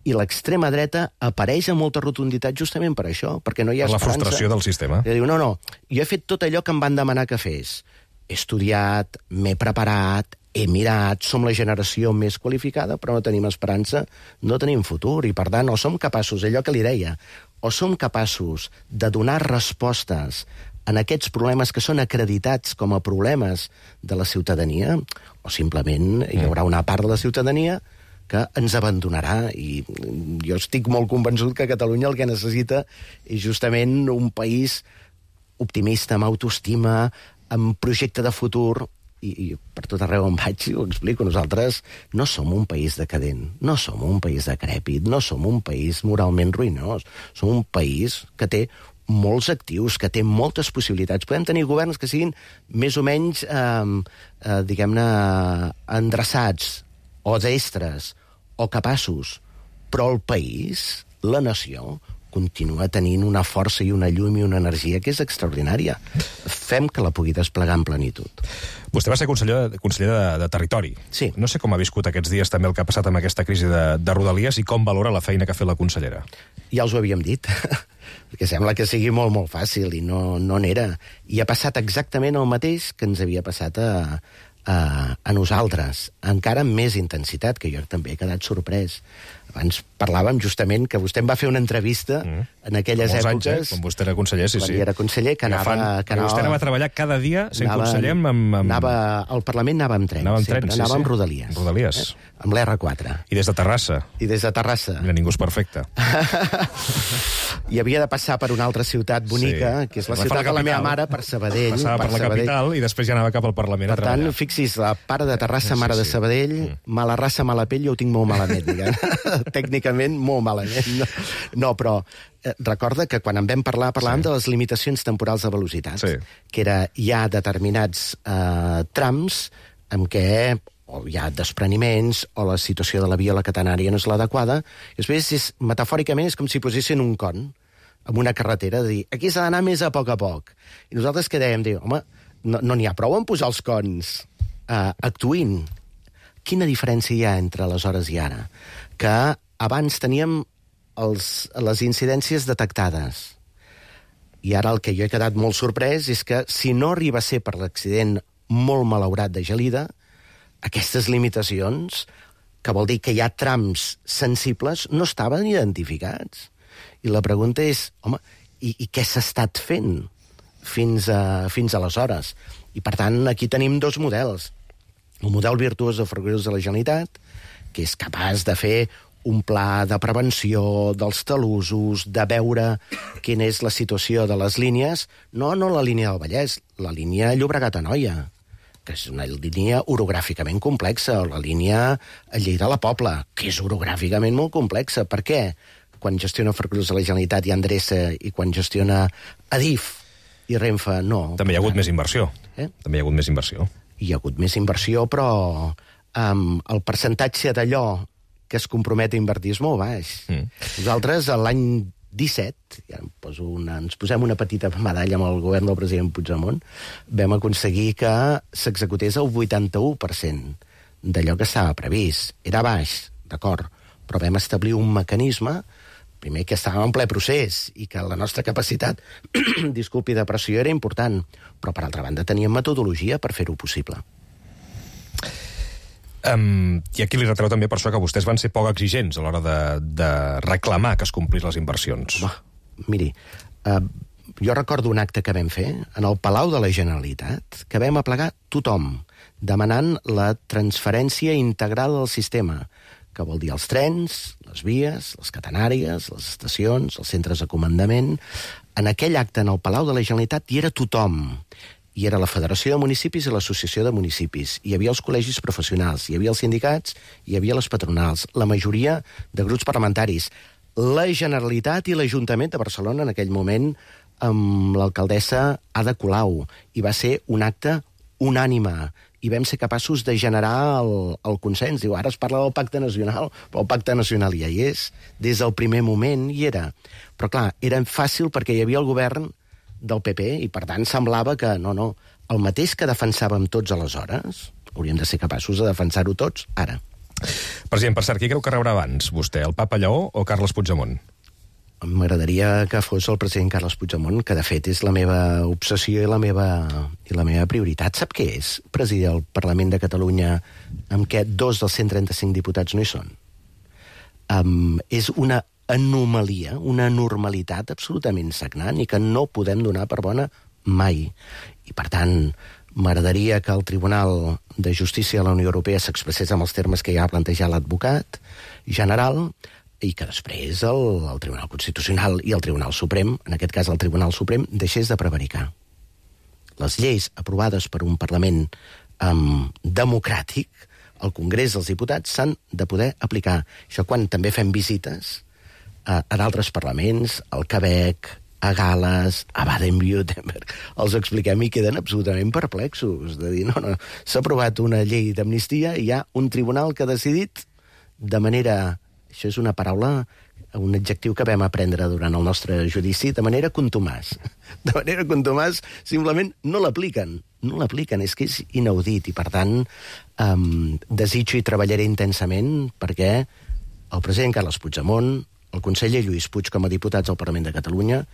I l'extrema dreta apareix amb molta rotunditat justament per això, perquè no hi ha esperança. La frustració del sistema. I diu, no, jo he fet tot allò que em van demanar que fes. He estudiat, m'he preparat, he mirat, som la generació més qualificada, però no tenim esperança, no tenim futur, i per tant, o som capaços, allò que li deia, o som capaços de donar respostes en aquests problemes que són acreditats com a problemes de la ciutadania, o simplement hi haurà una part de la ciutadania que ens abandonarà, i jo estic molt convençut que Catalunya el que necessita és justament un país optimista, amb autoestima, amb projecte de futur, i per tot arreu on vaig ho explico. Nosaltres no som un país decadent, no som un país decrèpit, no som un país moralment ruïnós, som un país que té molts actius, que té moltes possibilitats. Podem tenir governs que siguin més o menys, diguem-ne, endreçats, o destres, o capaços, però el país, la nació, continua tenint una força i una llum i una energia que és extraordinària. Fem que la pugui desplegar en plenitud. Vostè va ser conseller de Territori. Sí. No sé com ha viscut aquests dies també el que ha passat amb aquesta crisi de Rodalies i com valora la feina que ha fet la consellera. Ja us ho havíem dit, perquè sembla que sigui molt, molt fàcil, i no n'era. I ha passat exactament el mateix que ens havia passat a nosaltres, encara amb més intensitat, que jo també he quedat sorprès. Abans parlàvem justament que vostè em va fer una entrevista en aquelles èpoques... Anys, quan vostè era conseller, sí. Quan era conseller, que anava... Vostè anava a treballar cada dia sent conseller amb... Al Parlament anava amb tren, anava amb Rodalies. Rodalies. Amb l'R4. I des de Terrassa. I des de Terrassa. Mira, ningú és perfecte. I havia de passar per una altra ciutat bonica, que és la ciutat de la meva mare, per Sabadell. Passava per la capital i després ja anava cap al Parlament a treballar. Per tant, fixi's, la pare de Terrassa, mare de Sabadell, mala raça, mala pell, jo ho tinc molt malament, diguem. Tècnicament, molt malament. No, però recorda que quan en vam parlar, parlàvem de les limitacions temporals de velocitat, que hi ha determinats trams en què o hi ha despreniments, o la situació de la via a la catenària no és l'adequada, i després, metafòricament, és com si posessin un con amb una carretera, de dir, aquí s'ha d'anar més a poc. I nosaltres què dèiem? Home, no n'hi ha prou en posar els cons, actuïn. Quina diferència hi ha entre aleshores i ara? Que abans teníem les incidències detectades, i ara el que jo he quedat molt sorprès és que si no arriba a ser per l'accident molt malaurat de Gelida, aquestes limitacions, que vol dir que hi ha trams sensibles, no estaven identificats. I la pregunta és, home, i què s'ha estat fent fins aleshores? I, per tant, aquí tenim dos models. El model virtuós de Ferrocarrils de la Generalitat, que és capaç de fer un pla de prevenció dels talussos, de veure quina és la situació de les línies, no la línia del Vallès, la línia Llobregat-Anoia, que és una línia orogràficament complexa, o la línia Lleida-La Pobla, que és orogràficament molt complexa. Per què? Quan gestiona Ferrocarrils de la Generalitat i endreça, i quan gestiona Adif i Renfe, no. També hi ha hagut més inversió. També hi ha hagut més inversió. Hi ha hagut més inversió, però el percentatge d'allò que es compromet a invertir és molt baix. Nosaltres, l'any 17, ja ens posem una petita medalla amb el govern del president Puigdemont, vam aconseguir que s'executés el 81% d'allò que estava previst. Era baix, d'acord, però vam establir un mecanisme, primer que estàvem en ple procés i que la nostra capacitat de pressió era important, però per altra banda teníem metodologia per fer-ho possible. I aquí li retreu també per això que vostès van ser poc exigents a l'hora de reclamar que es complís les inversions. Miri, jo recordo un acte que vam fer en el Palau de la Generalitat, que vam aplegar tothom, demanant la transferència integral del sistema, que vol dir els trens, les vies, les catenàries, les estacions, els centres de comandament. En aquell acte, en el Palau de la Generalitat, hi era tothom. Hi era la Federació de Municipis i l'Associació de Municipis. Hi havia els col·legis professionals, hi havia els sindicats, hi havia les patronals, la majoria de grups parlamentaris, la Generalitat i l'Ajuntament de Barcelona en aquell moment amb l'alcaldessa Ada Colau. I va ser un acte unànime i vam ser capaços de generar el consens. Diu, ara es parla del pacte nacional, però el pacte nacional ja hi és. Des del primer moment hi era. Però clar, era fàcil perquè hi havia el govern del PP, i per tant semblava que no, el mateix que defensàvem tots aleshores, hauríem de ser capaços de defensar-ho tots ara. President, per cert, qui creu que rebrà abans, vostè, el Papa Lleó o Carles Puigdemont? M'agradaria que fos el president Carles Puigdemont, que de fet és la meva obsessió i la meva prioritat. Sap què és presidir el Parlament de Catalunya amb què 2 dels 135 diputats no hi són? És una anomalia, una normalitat absolutament sagnant i que no podem donar per bona mai. I, per tant, m'agradaria que el Tribunal de Justícia de la Unió Europea s'expressés amb els termes que ja ha plantejat l'advocat general i que després el Tribunal Constitucional i el Tribunal Suprem, en aquest cas el Tribunal Suprem, deixés de prevaricar. Les lleis aprovades per un Parlament democràtic, el Congrés dels Diputats, s'han de poder aplicar. Això quan també fem visites a d'altres parlaments, al Quebec, a Gales, a Baden-Württemberg, els expliquem i queden absolutament perplexos. De dir, no, s'ha aprovat una llei d'amnistia i hi ha un tribunal que ha decidit de manera... Això és una paraula, un adjectiu que vam aprendre durant el nostre judici, de manera contumàs. De manera contumàs, simplement no l'apliquen. No l'apliquen, és que és inaudit. I, per tant, desitjo i treballaré intensament perquè el president Carles Puigdemont, el conseller Lluís Puig com a diputats al Parlament de Catalunya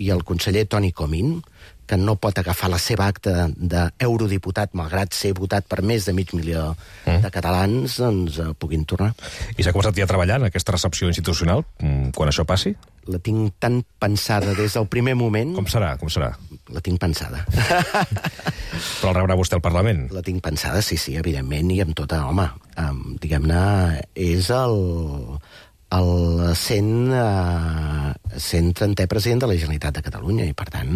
i el conseller Toni Comín, que no pot agafar la seva acta d'eurodiputat, malgrat ser votat per més de 500.000 de catalans, doncs puguin tornar. I s'ha començat ja a treballar en aquesta recepció institucional, quan això passi? La tinc tan pensada des del primer moment... Com serà? Com serà? La tinc pensada. Però el rebrà vostè al Parlament? La tinc pensada, sí, evidentment, i amb tota... Home, diguem-ne, és el 130è president de la Generalitat de Catalunya, i per tant...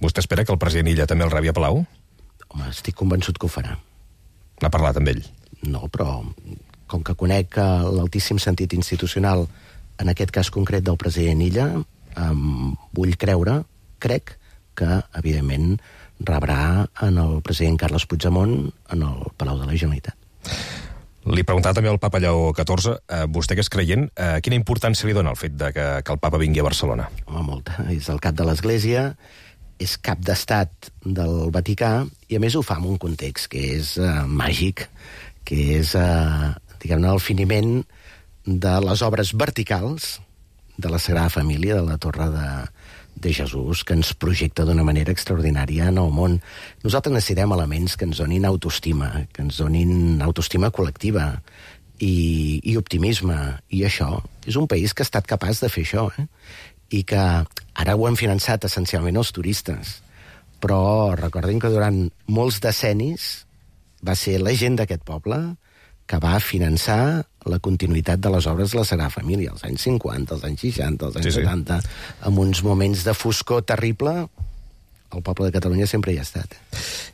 Vostè espera que el president Illa també el rebi a Palau? Home, estic convençut que ho farà. N'ha parlat amb ell? No, però com que conec l'altíssim sentit institucional, en aquest cas concret del president Illa, vull crec que, evidentment, rebrà en el president Carles Puigdemont en el Palau de la Generalitat. Li preguntava també al papa Lleó XIV, vostè que és creient, quina importància li dona el fet de que el papa vingui a Barcelona? Home, molta. És el cap de l'Església, és cap d'estat del Vaticà, i a més ho fa en un context que és màgic, que és, diguem-ne, el finiment de les obres verticals de la Sagrada Família, de la Torre de Jesús, que ens projecta d'una manera extraordinària en el món. Nosaltres necessitem elements que ens donin autoestima, que ens donin autoestima col·lectiva i optimisme. I això és un país que ha estat capaç de fer això, i que ara ho han finançat essencialment els turistes. Però recordem que durant molts decennis va ser la gent d'aquest poble que va finançar la continuïtat de les obres de la Sagrada Família, als anys 50, als anys 60, als anys 70, amb uns moments de foscor terrible. El poble de Catalunya sempre hi ha estat.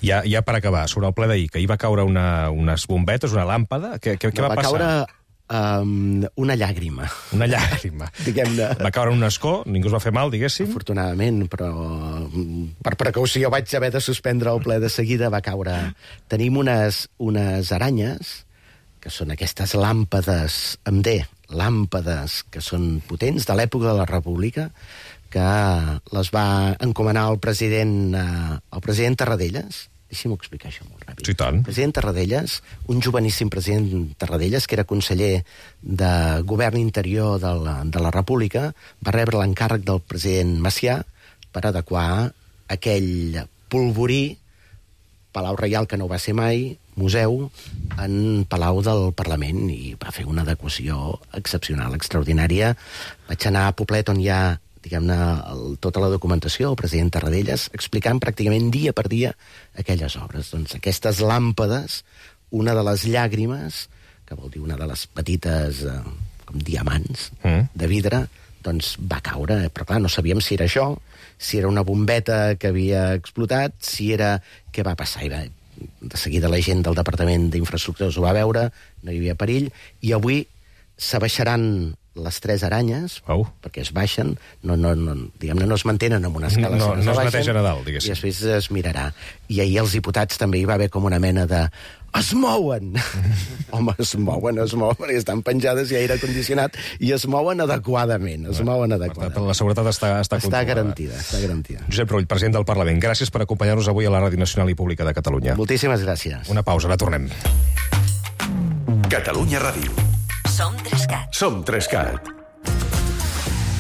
Ja per acabar, sobre el ple d'ahir, que ahir va caure unes bombetes, una làmpada, què va passar? Va caure una llàgrima. Una llàgrima. Va caure un escó, ningú es va fer mal, diguéssim? Afortunadament, però per precaució vaig haver de suspendre el ple de seguida, va caure. Tenim unes aranyes, que són aquestes làmpades, làmpades que són potents, de l'època de la República, que les va encomanar el president Tarradellas. Deixi'm explicar això molt ràpid. Sí, tant. El president Tarradellas, un joveníssim president Tarradellas, que era conseller de Govern Interior de la República, va rebre l'encàrrec del president Macià per adequar aquell polvorí, Palau Reial, que no va ser mai, museu, en Palau del Parlament, i va fer una adequació excepcional, extraordinària. Vaig anar a Poblet, on hi ha, diguem-ne, tota la documentació, el president Tarradellas, explicant pràcticament dia per dia aquelles obres. Doncs aquestes làmpades, una de les llàgrimes, que vol dir una de les petites, com diamants, de vidre, doncs va caure, però clar, no sabíem si era això, si era una bombeta que havia explotat, si era... Què va passar? De seguida la gent del Departament d'Infraestructures ho va veure, no hi havia perill, i avui s'abaixaran les 3 aranyes, perquè es baixen, diguem-ne, no es mantenen en una escala, no es neteja a dalt, diguéssim. I després es mirarà. I ahir els diputats també hi va haver com una mena de... Es mouen! Home, es mouen, i estan penjades i aire condicionat, i es mouen adequadament, Per tant, la seguretat està garantida. Josep Rull, president del Parlament, gràcies per acompanyar-nos avui a la Ràdio Nacional i Pública de Catalunya. Moltíssimes gràcies. Una pausa, ara tornem. Catalunya Ràdio. Som 3CAT.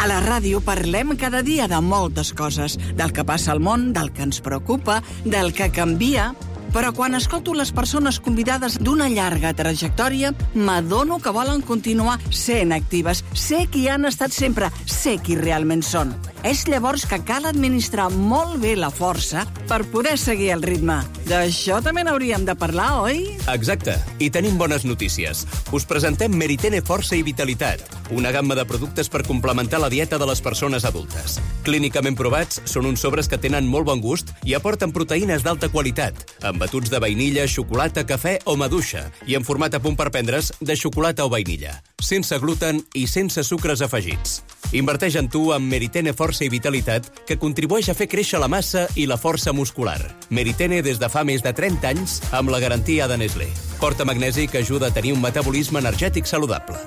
A la ràdio parlem cada dia de moltes coses, del que passa al món, del que ens preocupa, del que canvia... Però quan escolto les persones convidades d'una llarga trajectòria, m'adono que volen continuar sent actives. Sé qui han estat sempre, sé qui realment són. És llavors que cal administrar molt bé la força per poder seguir el ritme. D'això també n'hauríem de parlar, oi? Exacte. I tenim bones notícies. Us presentem Meritene Força i Vitalitat, una gamma de productes per complementar la dieta de les persones adultes. Clínicament provats, són uns sobres que tenen molt bon gust i aporten proteïnes d'alta qualitat, amb batuts de vainilla, xocolata, cafè o maduixa, i en format a punt per prendre's de xocolata o vainilla, sense gluten i sense sucres afegits. Inverteix en tu amb Meritene Força i Vitalitat, que contribueix a fer créixer la massa i la força muscular. Meritene des de fa més de 30 anys amb la garantia de Nestlé. Porta magnesi que ajuda a tenir un metabolisme energètic saludable.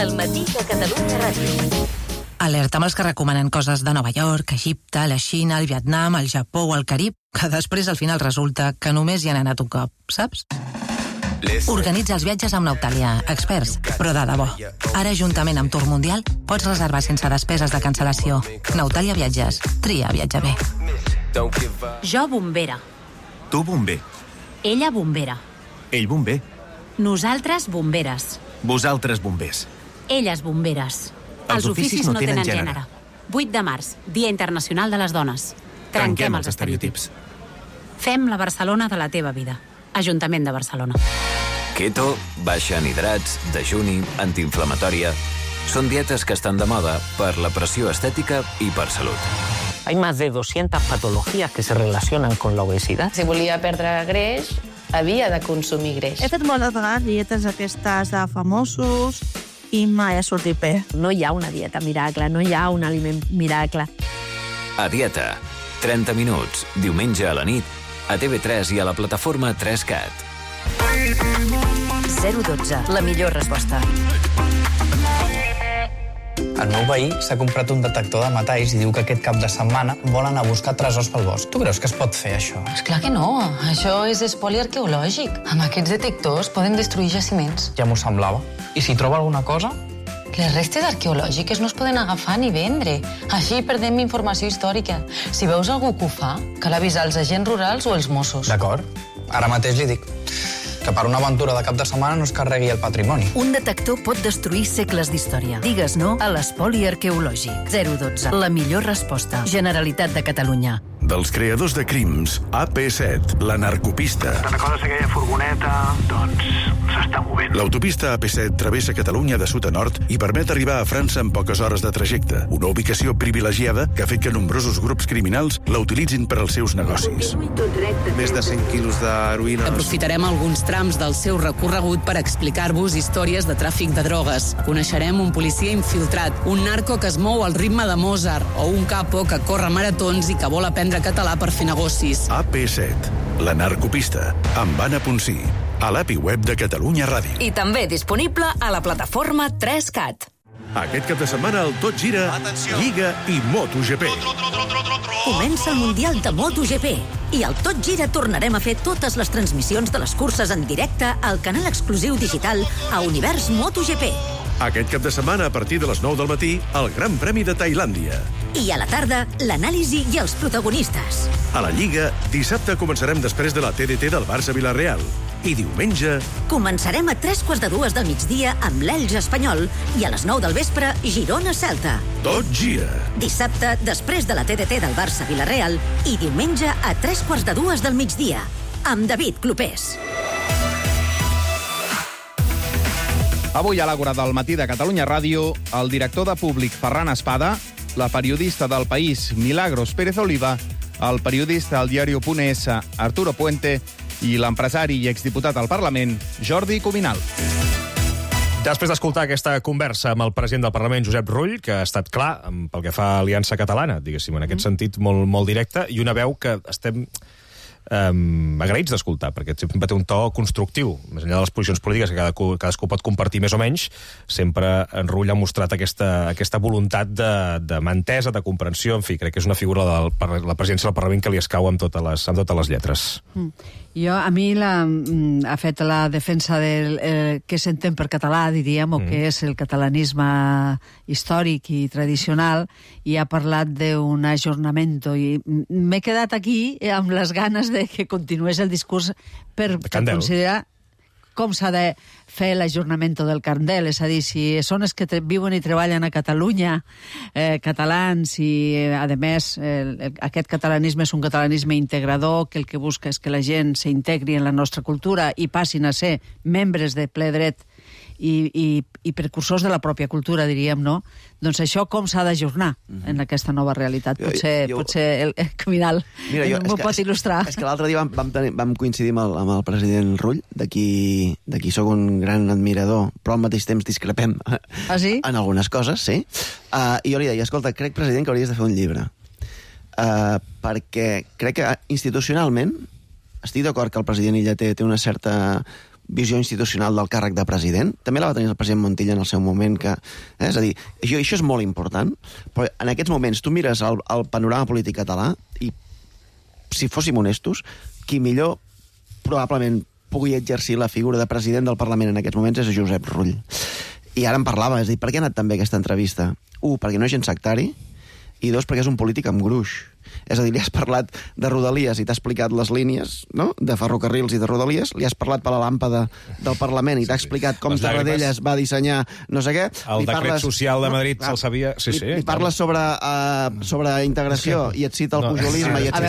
El matí de Catalunya Ràdio. Alerta amb els que recomanen coses de Nova York, Egipte, la Xina, el Vietnam, el Japó o el Carib, que després al final resulta que només hi han anat un cop, saps? Organitza els viatges amb Nautalia, experts, però de debò. Ara, juntament amb Tour Mundial, pots reservar sense despeses de cancel·lació. Nautalia Viatges. Tria viatjar bé. Jo bombera. Tu bomber. Ella bombera. Ell bomber. Nosaltres bomberes. Vosaltres bombers. Elles bomberes. Els oficis no tenen gènere. 8 de març, Dia Internacional de les Dones. Trenquem els estereotips. Fem la Barcelona de la teva vida. Ajuntament de Barcelona. Keto, baixa en hidrats, dejuni, antiinflamatòria... Són dietes que estan de moda per la pressió estética y per salut. Hay más de 200 patologías que se relacionan con la obesidad. Si volia perdre greix, havia de consumir greix. He fet moltes vegades dietes aquestes de famosos i mai ha sortit bé. No hi ha una dieta miracle, no hi ha un aliment miracle. A dieta, 30 minuts, diumenge a la nit, a TV3 i a la plataforma 3CAT. 012, la millor resposta. El meu veí s'ha comprat un detector de metalls i diu que aquest cap de setmana vol anar a buscar tresors pel bosc. Tu creus que es pot fer, això? Esclar que no. Això és espoli arqueològic. Amb aquests detectors poden destruir jaciments. Ja m'ho semblava. I si troba alguna cosa? Les restes arqueològiques no es poden agafar ni vendre. Així perdem informació històrica. Si veus algú que ho fa, cal avisar els agents rurals o els Mossos. D'acord. Ara mateix li dic que per una aventura de cap de setmana no es carregui el patrimoni. Un detector pot destruir segles d'història. Digues no a l'espoli arqueològic. 012. La millor resposta. Generalitat de Catalunya. Dels creadors de Crims, AP7, la narcopista. Te'n recordes aquella furgoneta? Doncs s'està movent. L'autopista AP7 travessa Catalunya de sud a nord i permet arribar a França en poques hores de trajecte. Una ubicació privilegiada que ha fet que nombrosos grups criminals la utilitzin per als seus negocis. Més de 100 quilos d'heroïna. Aprofitarem alguns trams del seu recorregut per explicar-vos històries de tràfic de drogues. Coneixerem un policia infiltrat, un narco que es mou al ritme de Mozart o un capo que corre maratons i que vol aprendre català per fer negocis. AP7, la narcopista, amb Anna Ponsí, a l'API web de Catalunya Ràdio. I també disponible a la plataforma 3CAT. Aquest cap de setmana el Tot Gira, Lliga i MotoGP. Comença el Mundial de MotoGP i al Tot Gira tornarem a fer totes les transmissions de les curses en directe al canal exclusiu digital a Univers MotoGP. Aquest cap de setmana, a partir de les 9 del matí, el Gran Premi de Tailàndia. I a la tarda, l'anàlisi i els protagonistes. A la Lliga, dissabte començarem després de la TDT del Barça-Vilareal. I diumenge... Començarem a 2:45 del migdia amb l'Elx Espanyol i a les 9 del vespre, Girona-Celta. Tot gira. Dissabte, després de la TDT del Barça-Vilareal i diumenge a 2:45 del migdia, amb David Clopés. Avui a l'Àgora del matí de Catalunya Ràdio, el director de Públic Ferran Espada, la periodista del País Milagros Pérez Oliva, el periodista al diario.es Arturo Puente i l'empresari i exdiputat al Parlament Jordi Cuminal. Després d'escoltar aquesta conversa amb el president del Parlament, Josep Rull, que ha estat clar pel que fa a Aliança Catalana, diguéssim, en aquest sentit molt directe, i una veu que estem agraïts d'escoltar, perquè sempre té un to constructiu, més enllà de les posicions polítiques que cadascú pot compartir més o menys. Sempre en Rull ha mostrat aquesta voluntat de mà entesa, de comprensió. En fi, crec que és una figura de la presidència del Parlament que li escau amb totes les lletres. A mi ha fet la defensa del que s'entén per català, diríem, o que és el catalanisme històric i tradicional, i ha parlat d'un ajornament, i m'he quedat aquí amb les ganes de que continués el discurs per considerar... com s'ha de fer l'ajornament del carnet, és a dir, si són els que viuen i treballen a Catalunya, catalans, i a més aquest catalanisme és un catalanisme integrador, que el que busca és que la gent s'integri en la nostra cultura i passin a ser membres de ple dret i precursors de la pròpia cultura, diríem, no? Doncs això com s'ha d'ajornar en aquesta nova realitat? Potser el Caminal m'ho pot il·lustrar. És que l'altre dia vam coincidir amb el president Rull, de qui sóc un gran admirador, però al mateix temps discrepem en algunes coses, sí. I jo li deia, escolta, crec, president, que hauries de fer un llibre. Perquè crec que institucionalment estic d'acord que el president Illa té una certa visió institucional del càrrec de president. També la va tenir el president Montilla en el seu moment, és a dir, això és molt important, però en aquests moments tu mires el panorama polític català i, si fóssim honestos, qui millor probablement pugui exercir la figura de president del Parlament en aquests moments és Josep Rull. I ara en parlava, és a dir, per què ha anat tan bé aquesta entrevista? 1, perquè no és gens sectari, i 2, perquè és un polític amb gruix. És a dir, li has parlat de Rodalies i t'ha explicat les línies, no?, de ferrocarrils i de Rodalies, li has parlat per la làmpada del Parlament i t'ha explicat com Tarradellas va dissenyar no sé què. El decret social de Madrid se'l sabia... Li parles sobre integració i et cita el pujolisme i et a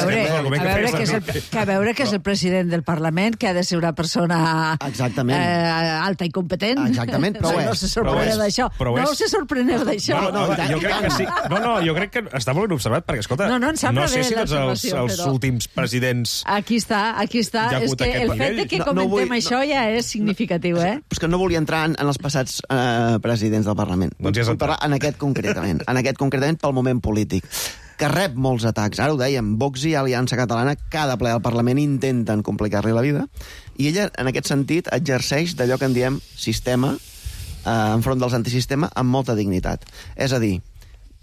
veure que és el president del Parlament, que ha de ser una persona alta i competent. Exactament, però no se sorpreneu d'això. No se sorpreneu d'això. Jo crec que sí. No, jo crec que està molt ben observat, perquè, escolta, no sé si tots els últims presidents... Aquí està. És que el fet que comentem això ja és significatiu, És que no volia entrar en els passats presidents del Parlament. Vull parlar en aquest concretament. En aquest concretament pel moment polític, que rep molts atacs. Ara ho dèiem, Vox i Aliança Catalana, cada ple del Parlament intenten complicar-li la vida, i ella, en aquest sentit, exerceix d'allò que en diem sistema, enfront dels antisistema, amb molta dignitat. És a dir,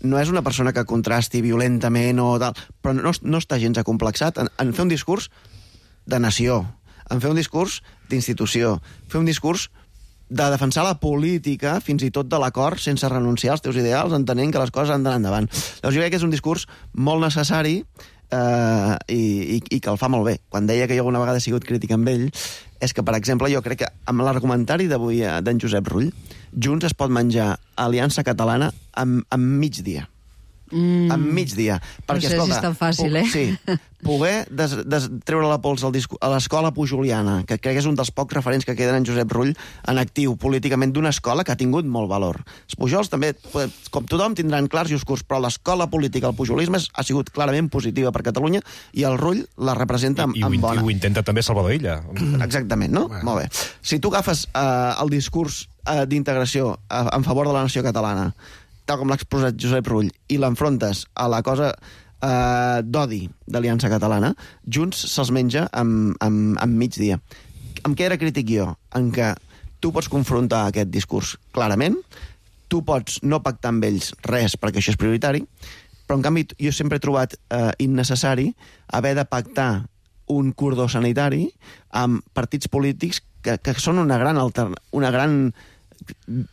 no és una persona que contrasti violentament o tal, però no està gens acomplexat en fer un discurs de nació, en fer un discurs d'institució, fer un discurs de defensar la política, fins i tot de l'acord, sense renunciar als teus ideals, entenent que les coses han d'anar endavant. Llavors jo crec que és un discurs molt necessari i que el fa molt bé. Quan deia que jo alguna vegada he sigut crític amb ell, és que, per exemple, jo crec que amb l'argumentari d'avui d'en Josep Rull, Junts es pot menjar Aliança Catalana amb migdia. Amb migdia. Perquè, no sé si és tan fàcil, Sí. Poder treure la pols a l'escola pujoliana, que crec que és un dels pocs referents que queden en Josep Rull en actiu políticament d'una escola que ha tingut molt valor. Els Pujols també, com tothom, tindran clars i oscurs, però l'escola política, el pujolisme, ha sigut clarament positiva per Catalunya i el Rull la representa amb bona. I ho intenta també Salvador Illa. Exactament, no? Bueno. Molt bé. Si tu agafes el discurs d'integració en favor de la nació catalana, tal com l'ha exposat Josep Rull, i l'enfrontes a la cosa d'odi d'Aliança Catalana, Junts se'ls menja amb migdia. Amb què era crític jo? En què tu pots confrontar aquest discurs clarament, tu pots no pactar amb ells res, perquè això és prioritari, però en canvi jo sempre he trobat innecessari haver de pactar un cordó sanitari amb partits polítics que són una gran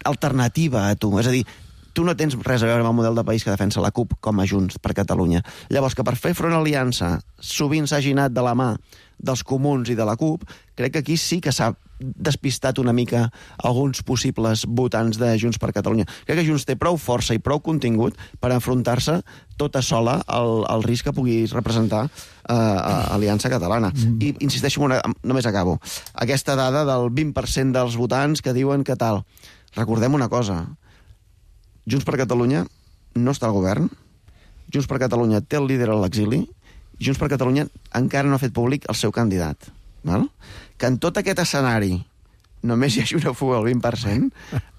alternativa a tu. És a dir, tu no tens res a veure amb el model de país que defensa la CUP com a Junts per Catalunya. Llavors, que per fer front a l'aliança sovint s'hagi anat de la mà dels comuns i de la CUP, crec que aquí sí que s'ha despistat una mica alguns possibles votants de Junts per Catalunya. Crec que Junts té prou força i prou contingut per enfrontar-se tota sola al risc que pugui representar Aliança Catalana. I insisteixo, només acabo. Aquesta dada del 20% dels votants que diuen que tal. Recordem una cosa. Junts per Catalunya no està al govern, Junts per Catalunya té el líder a l'exili, i Junts per Catalunya encara no ha fet públic el seu candidat. Val? Que en tot aquest escenari només hi hagi una fuga al 20%,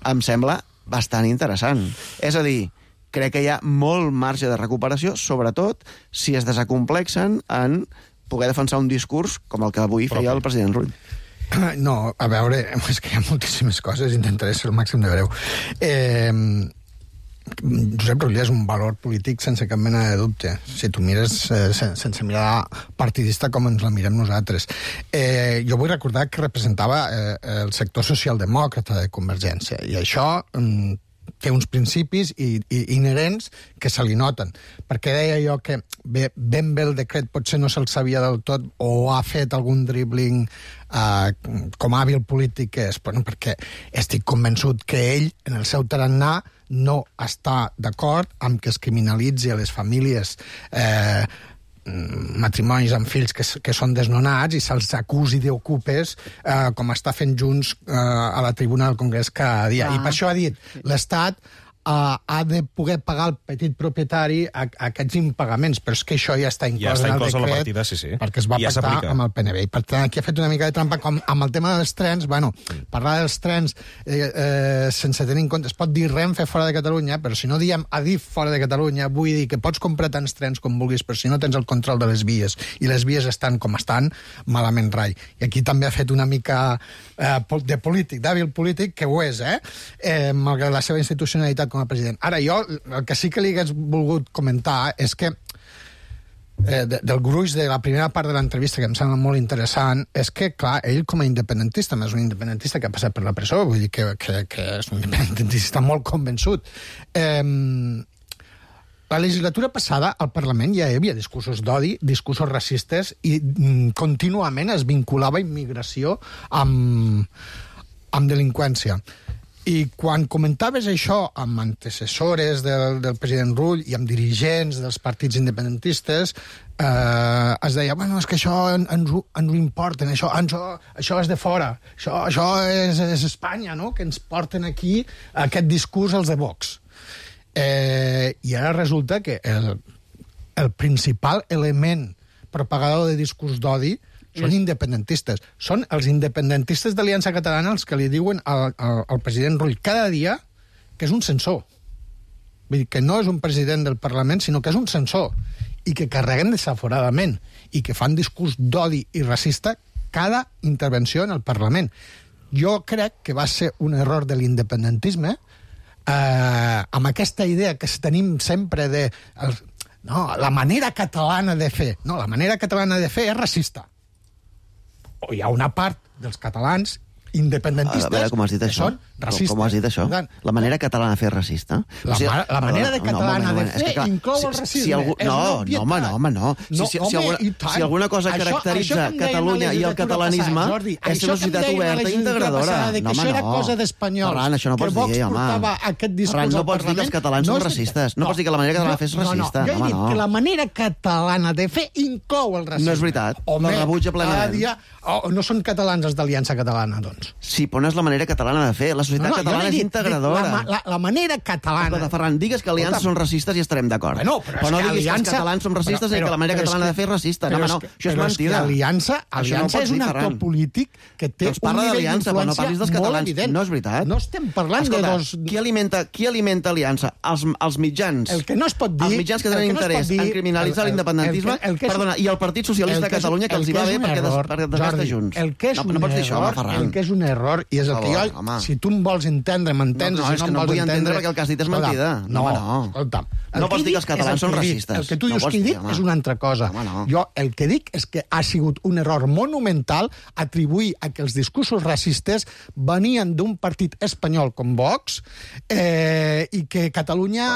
em sembla bastant interessant. És a dir, crec que hi ha molt marge de recuperació, sobretot si es desacomplexen en poder defensar un discurs com el que avui feia el president Rull. No, a veure, és que hi ha moltíssimes coses, intentaré ser el màxim de breu. Josep Rull és un valor polític sense cap mena de dubte, si tu mires sense mirar partidista com ens la mirem nosaltres. Jo vull recordar que representava el sector socialdemòcrata de Convergència, i això té uns principis inherents que se li noten. Perquè deia jo que ben bé el decret potser no se'l sabia del tot o ha fet algun dribbling com a hàbil polític que és, perquè estic convençut que ell, en el seu tarannà, no està d'acord amb que es criminalitzi a les famílies matrimonis amb fills que són desnonats i se'ls acusi d'ocupes com està fent Junts a la tribuna del Congrés cada dia. I per això ha dit, l'Estat ha de poder pagar el petit propietari aquests impagaments, però és que això ja està inclòs en el decret, perquè es va pactar amb el PNB. I per tant, aquí ha fet una mica de trampa amb el tema dels trens. Parlar dels trens sense tenir en compte, es pot dir Renfe fora de Catalunya, però si no diem Adif fora de Catalunya, vull dir que pots comprar tants trens com vulguis, però si no tens el control de les vies, i les vies estan com estan, malament rai. I aquí també ha fet una mica de polític, d'hàbil polític, que ho és, malgrat la seva institucionalitat com a president. Ara, jo el que sí que li hagués volgut comentar és que del gruix de la primera part de l'entrevista, que em sembla molt interessant, és que, clar, ell com a independentista, més un independentista que ha passat per la presó, vull dir que és un independentista molt convençut. La legislatura passada, al Parlament ja hi havia discursos d'odi, discursos racistes, i contínuament es vinculava immigració amb delinqüència. I quan comentaves això amb antecessores del president Rull i amb dirigents dels partits independentistes, es deia, és que això ens ho importen, això és de fora, això és Espanya, no?, que ens porten aquí aquest discurs els de Vox. I ara resulta que el principal element propagador de discurs d'odi són independentistes. Són els independentistes d'Aliança Catalana els que li diuen al president Rull cada dia que és un censor. Vull dir que no és un president del Parlament, sinó que és un censor, i que carreguen desaforadament, i que fan discurs d'odi i racista cada intervenció en el Parlament. Jo crec que va ser un error de l'independentisme, amb aquesta idea que tenim sempre de la manera catalana de fer. No, la manera catalana de fer és racista. O hi ha una part dels catalans independentistes que són racistes. Com has dit això? La manera catalana de fer és racista? La manera catalana de fer inclou el racisme. No. Si alguna cosa caracteritza Catalunya i el catalanisme és una societat oberta i integradora. Això era cosa d'espanyols. Ferran, això no pots dir, home. Ferran, no pots dir que els catalans són racistes. No pots dir que la manera catalana de fer és racista. Jo he dit que la manera catalana de fer inclou el racisme. No és veritat. La rebutja plenament. No són catalans els d'Aliança Catalana, doncs. Sí, però no és la manera catalana de fer. La societat catalana és integradora. La manera catalana... Escolta, Ferran, digues que Aliança són racistes i estarem d'acord. Però no diguis que els catalans són racistes i que la manera catalana de fer és racista. No, això és mentida. Aliança és un actor polític que té un nivell d'influència molt evident. No és veritat. No estem parlant de dos... Qui alimenta Aliança? Els mitjans. El que no es pot dir... Els mitjans que tenen interès en criminalitzar l'independentisme, perdona, i el Partit Socialista de Catalunya, que els hi va bé perquè desgasta Junts. El que és un error, i és el que jo... Si tu em vols entendre, m'entens, no, és que no em vull entendre perquè el que has dit és mentida. No. No pots dir que els catalans són racistes. El que tu dius que he dit és una altra cosa. Jo el que dic és que ha sigut un error monumental atribuir a que els discursos racistes venien d'un partit espanyol com Vox i que Catalunya...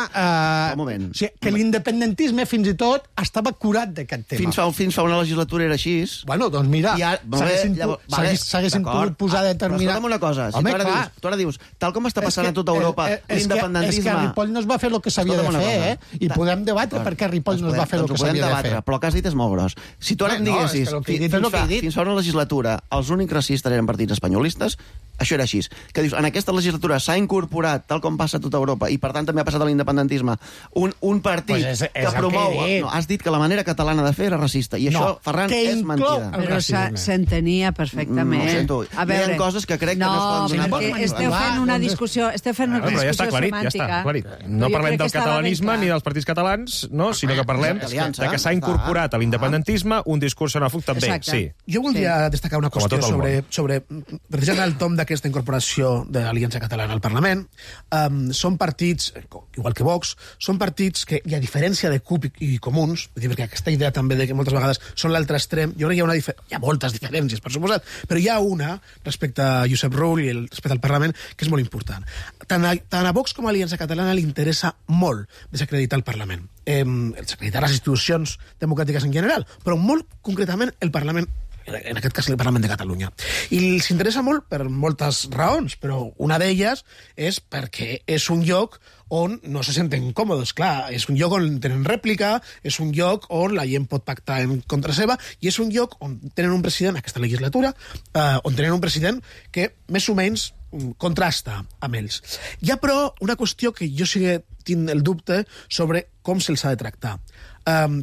que l'independentisme fins i tot estava curat d'aquest tema. Fins fa una legislatura era així. Bueno, doncs mira, s'haguessin pogut posar determinat... Però escolta'm una cosa, si tu ara dius, tal com està passant a tota Europa, l'independentisme... És que a Ripoll no es va fer el que s'havia de fer, i podem debatre per què Ripoll no es va fer el que s'havia de fer. Però el que has dit és molt gros. Si tu ara em diguessis, fins fa una legislatura, els únics racistes eren partits espanyolistes, això era així. Que dius, en aquesta legislatura s'ha incorporat, tal com passa a tota Europa, i per tant també ha passat a l'independentisme, un partit que promou... No, has dit que la manera catalana de fer era racista, i això, Ferran, és mentida. Però s'entenia perfectament. Ho sento. Hi ha coses que crec que no es poden donar. No, perquè esteu fent una discussió semàntica. Ja està aclarit. No parlem del catalanisme ni dels partits catalans, sinó que parlem de que s'ha incorporat a l'independentisme un discurs xenòfob també. Sí. Jo voldria destacar una qüestió sobre precisament el tom de aquesta incorporació de l'Aliança Catalana al Parlament. Són partits, igual que Vox, són partits que, i a diferència de CUP i Comuns, perquè aquesta idea també de que moltes vegades són l'altre extrem, jo crec que hi ha moltes diferències, per suposat, però hi ha una respecte a Josep Rull i respecte al Parlament que és molt important. Tant a Vox com a Aliança Catalana li interessa molt desacreditar el Parlament. Desacreditar les institucions democràtiques en general, però molt concretament el Parlament, en aquest cas el Parlament de Catalunya. I els interessa molt per moltes raons, però una d'elles és perquè és un lloc on no se senten còmodes. Clar, és un lloc on tenen rèplica, és un lloc on la gent pot pactar en contra seva, i és un lloc on tenen un president, aquesta legislatura, on tenen un president que més o menys contrasta amb ells. Hi ha, però, una qüestió que jo sí que tinc el dubte sobre com se'ls ha de tractar.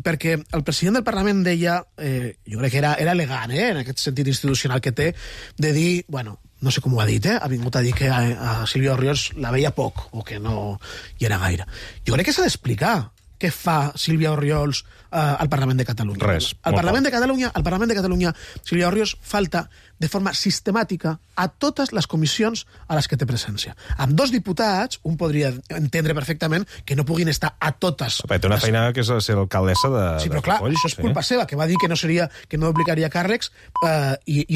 Perquè el president del Parlament deia, jo crec que era elegant, en aquest sentit institucional que té, de dir, bueno, no sé com ho ha dit, ha vingut a dir que a Sílvia Orriols la veia poc, o que no hi era gaire. Jo crec que s'ha d'explicar què fa Sílvia Orriols al Parlament de Catalunya. Res. Al Parlament de Catalunya, Sílvia Orriols falta de forma sistemàtica a totes les comissions a les que té presència. Amb 2 diputats, un podria entendre perfectament que no puguin estar a totes. Té una feina que és ser alcaldessa de... Sí, però clar, això és culpa seva, que va dir que no duplicaria càrrecs, i el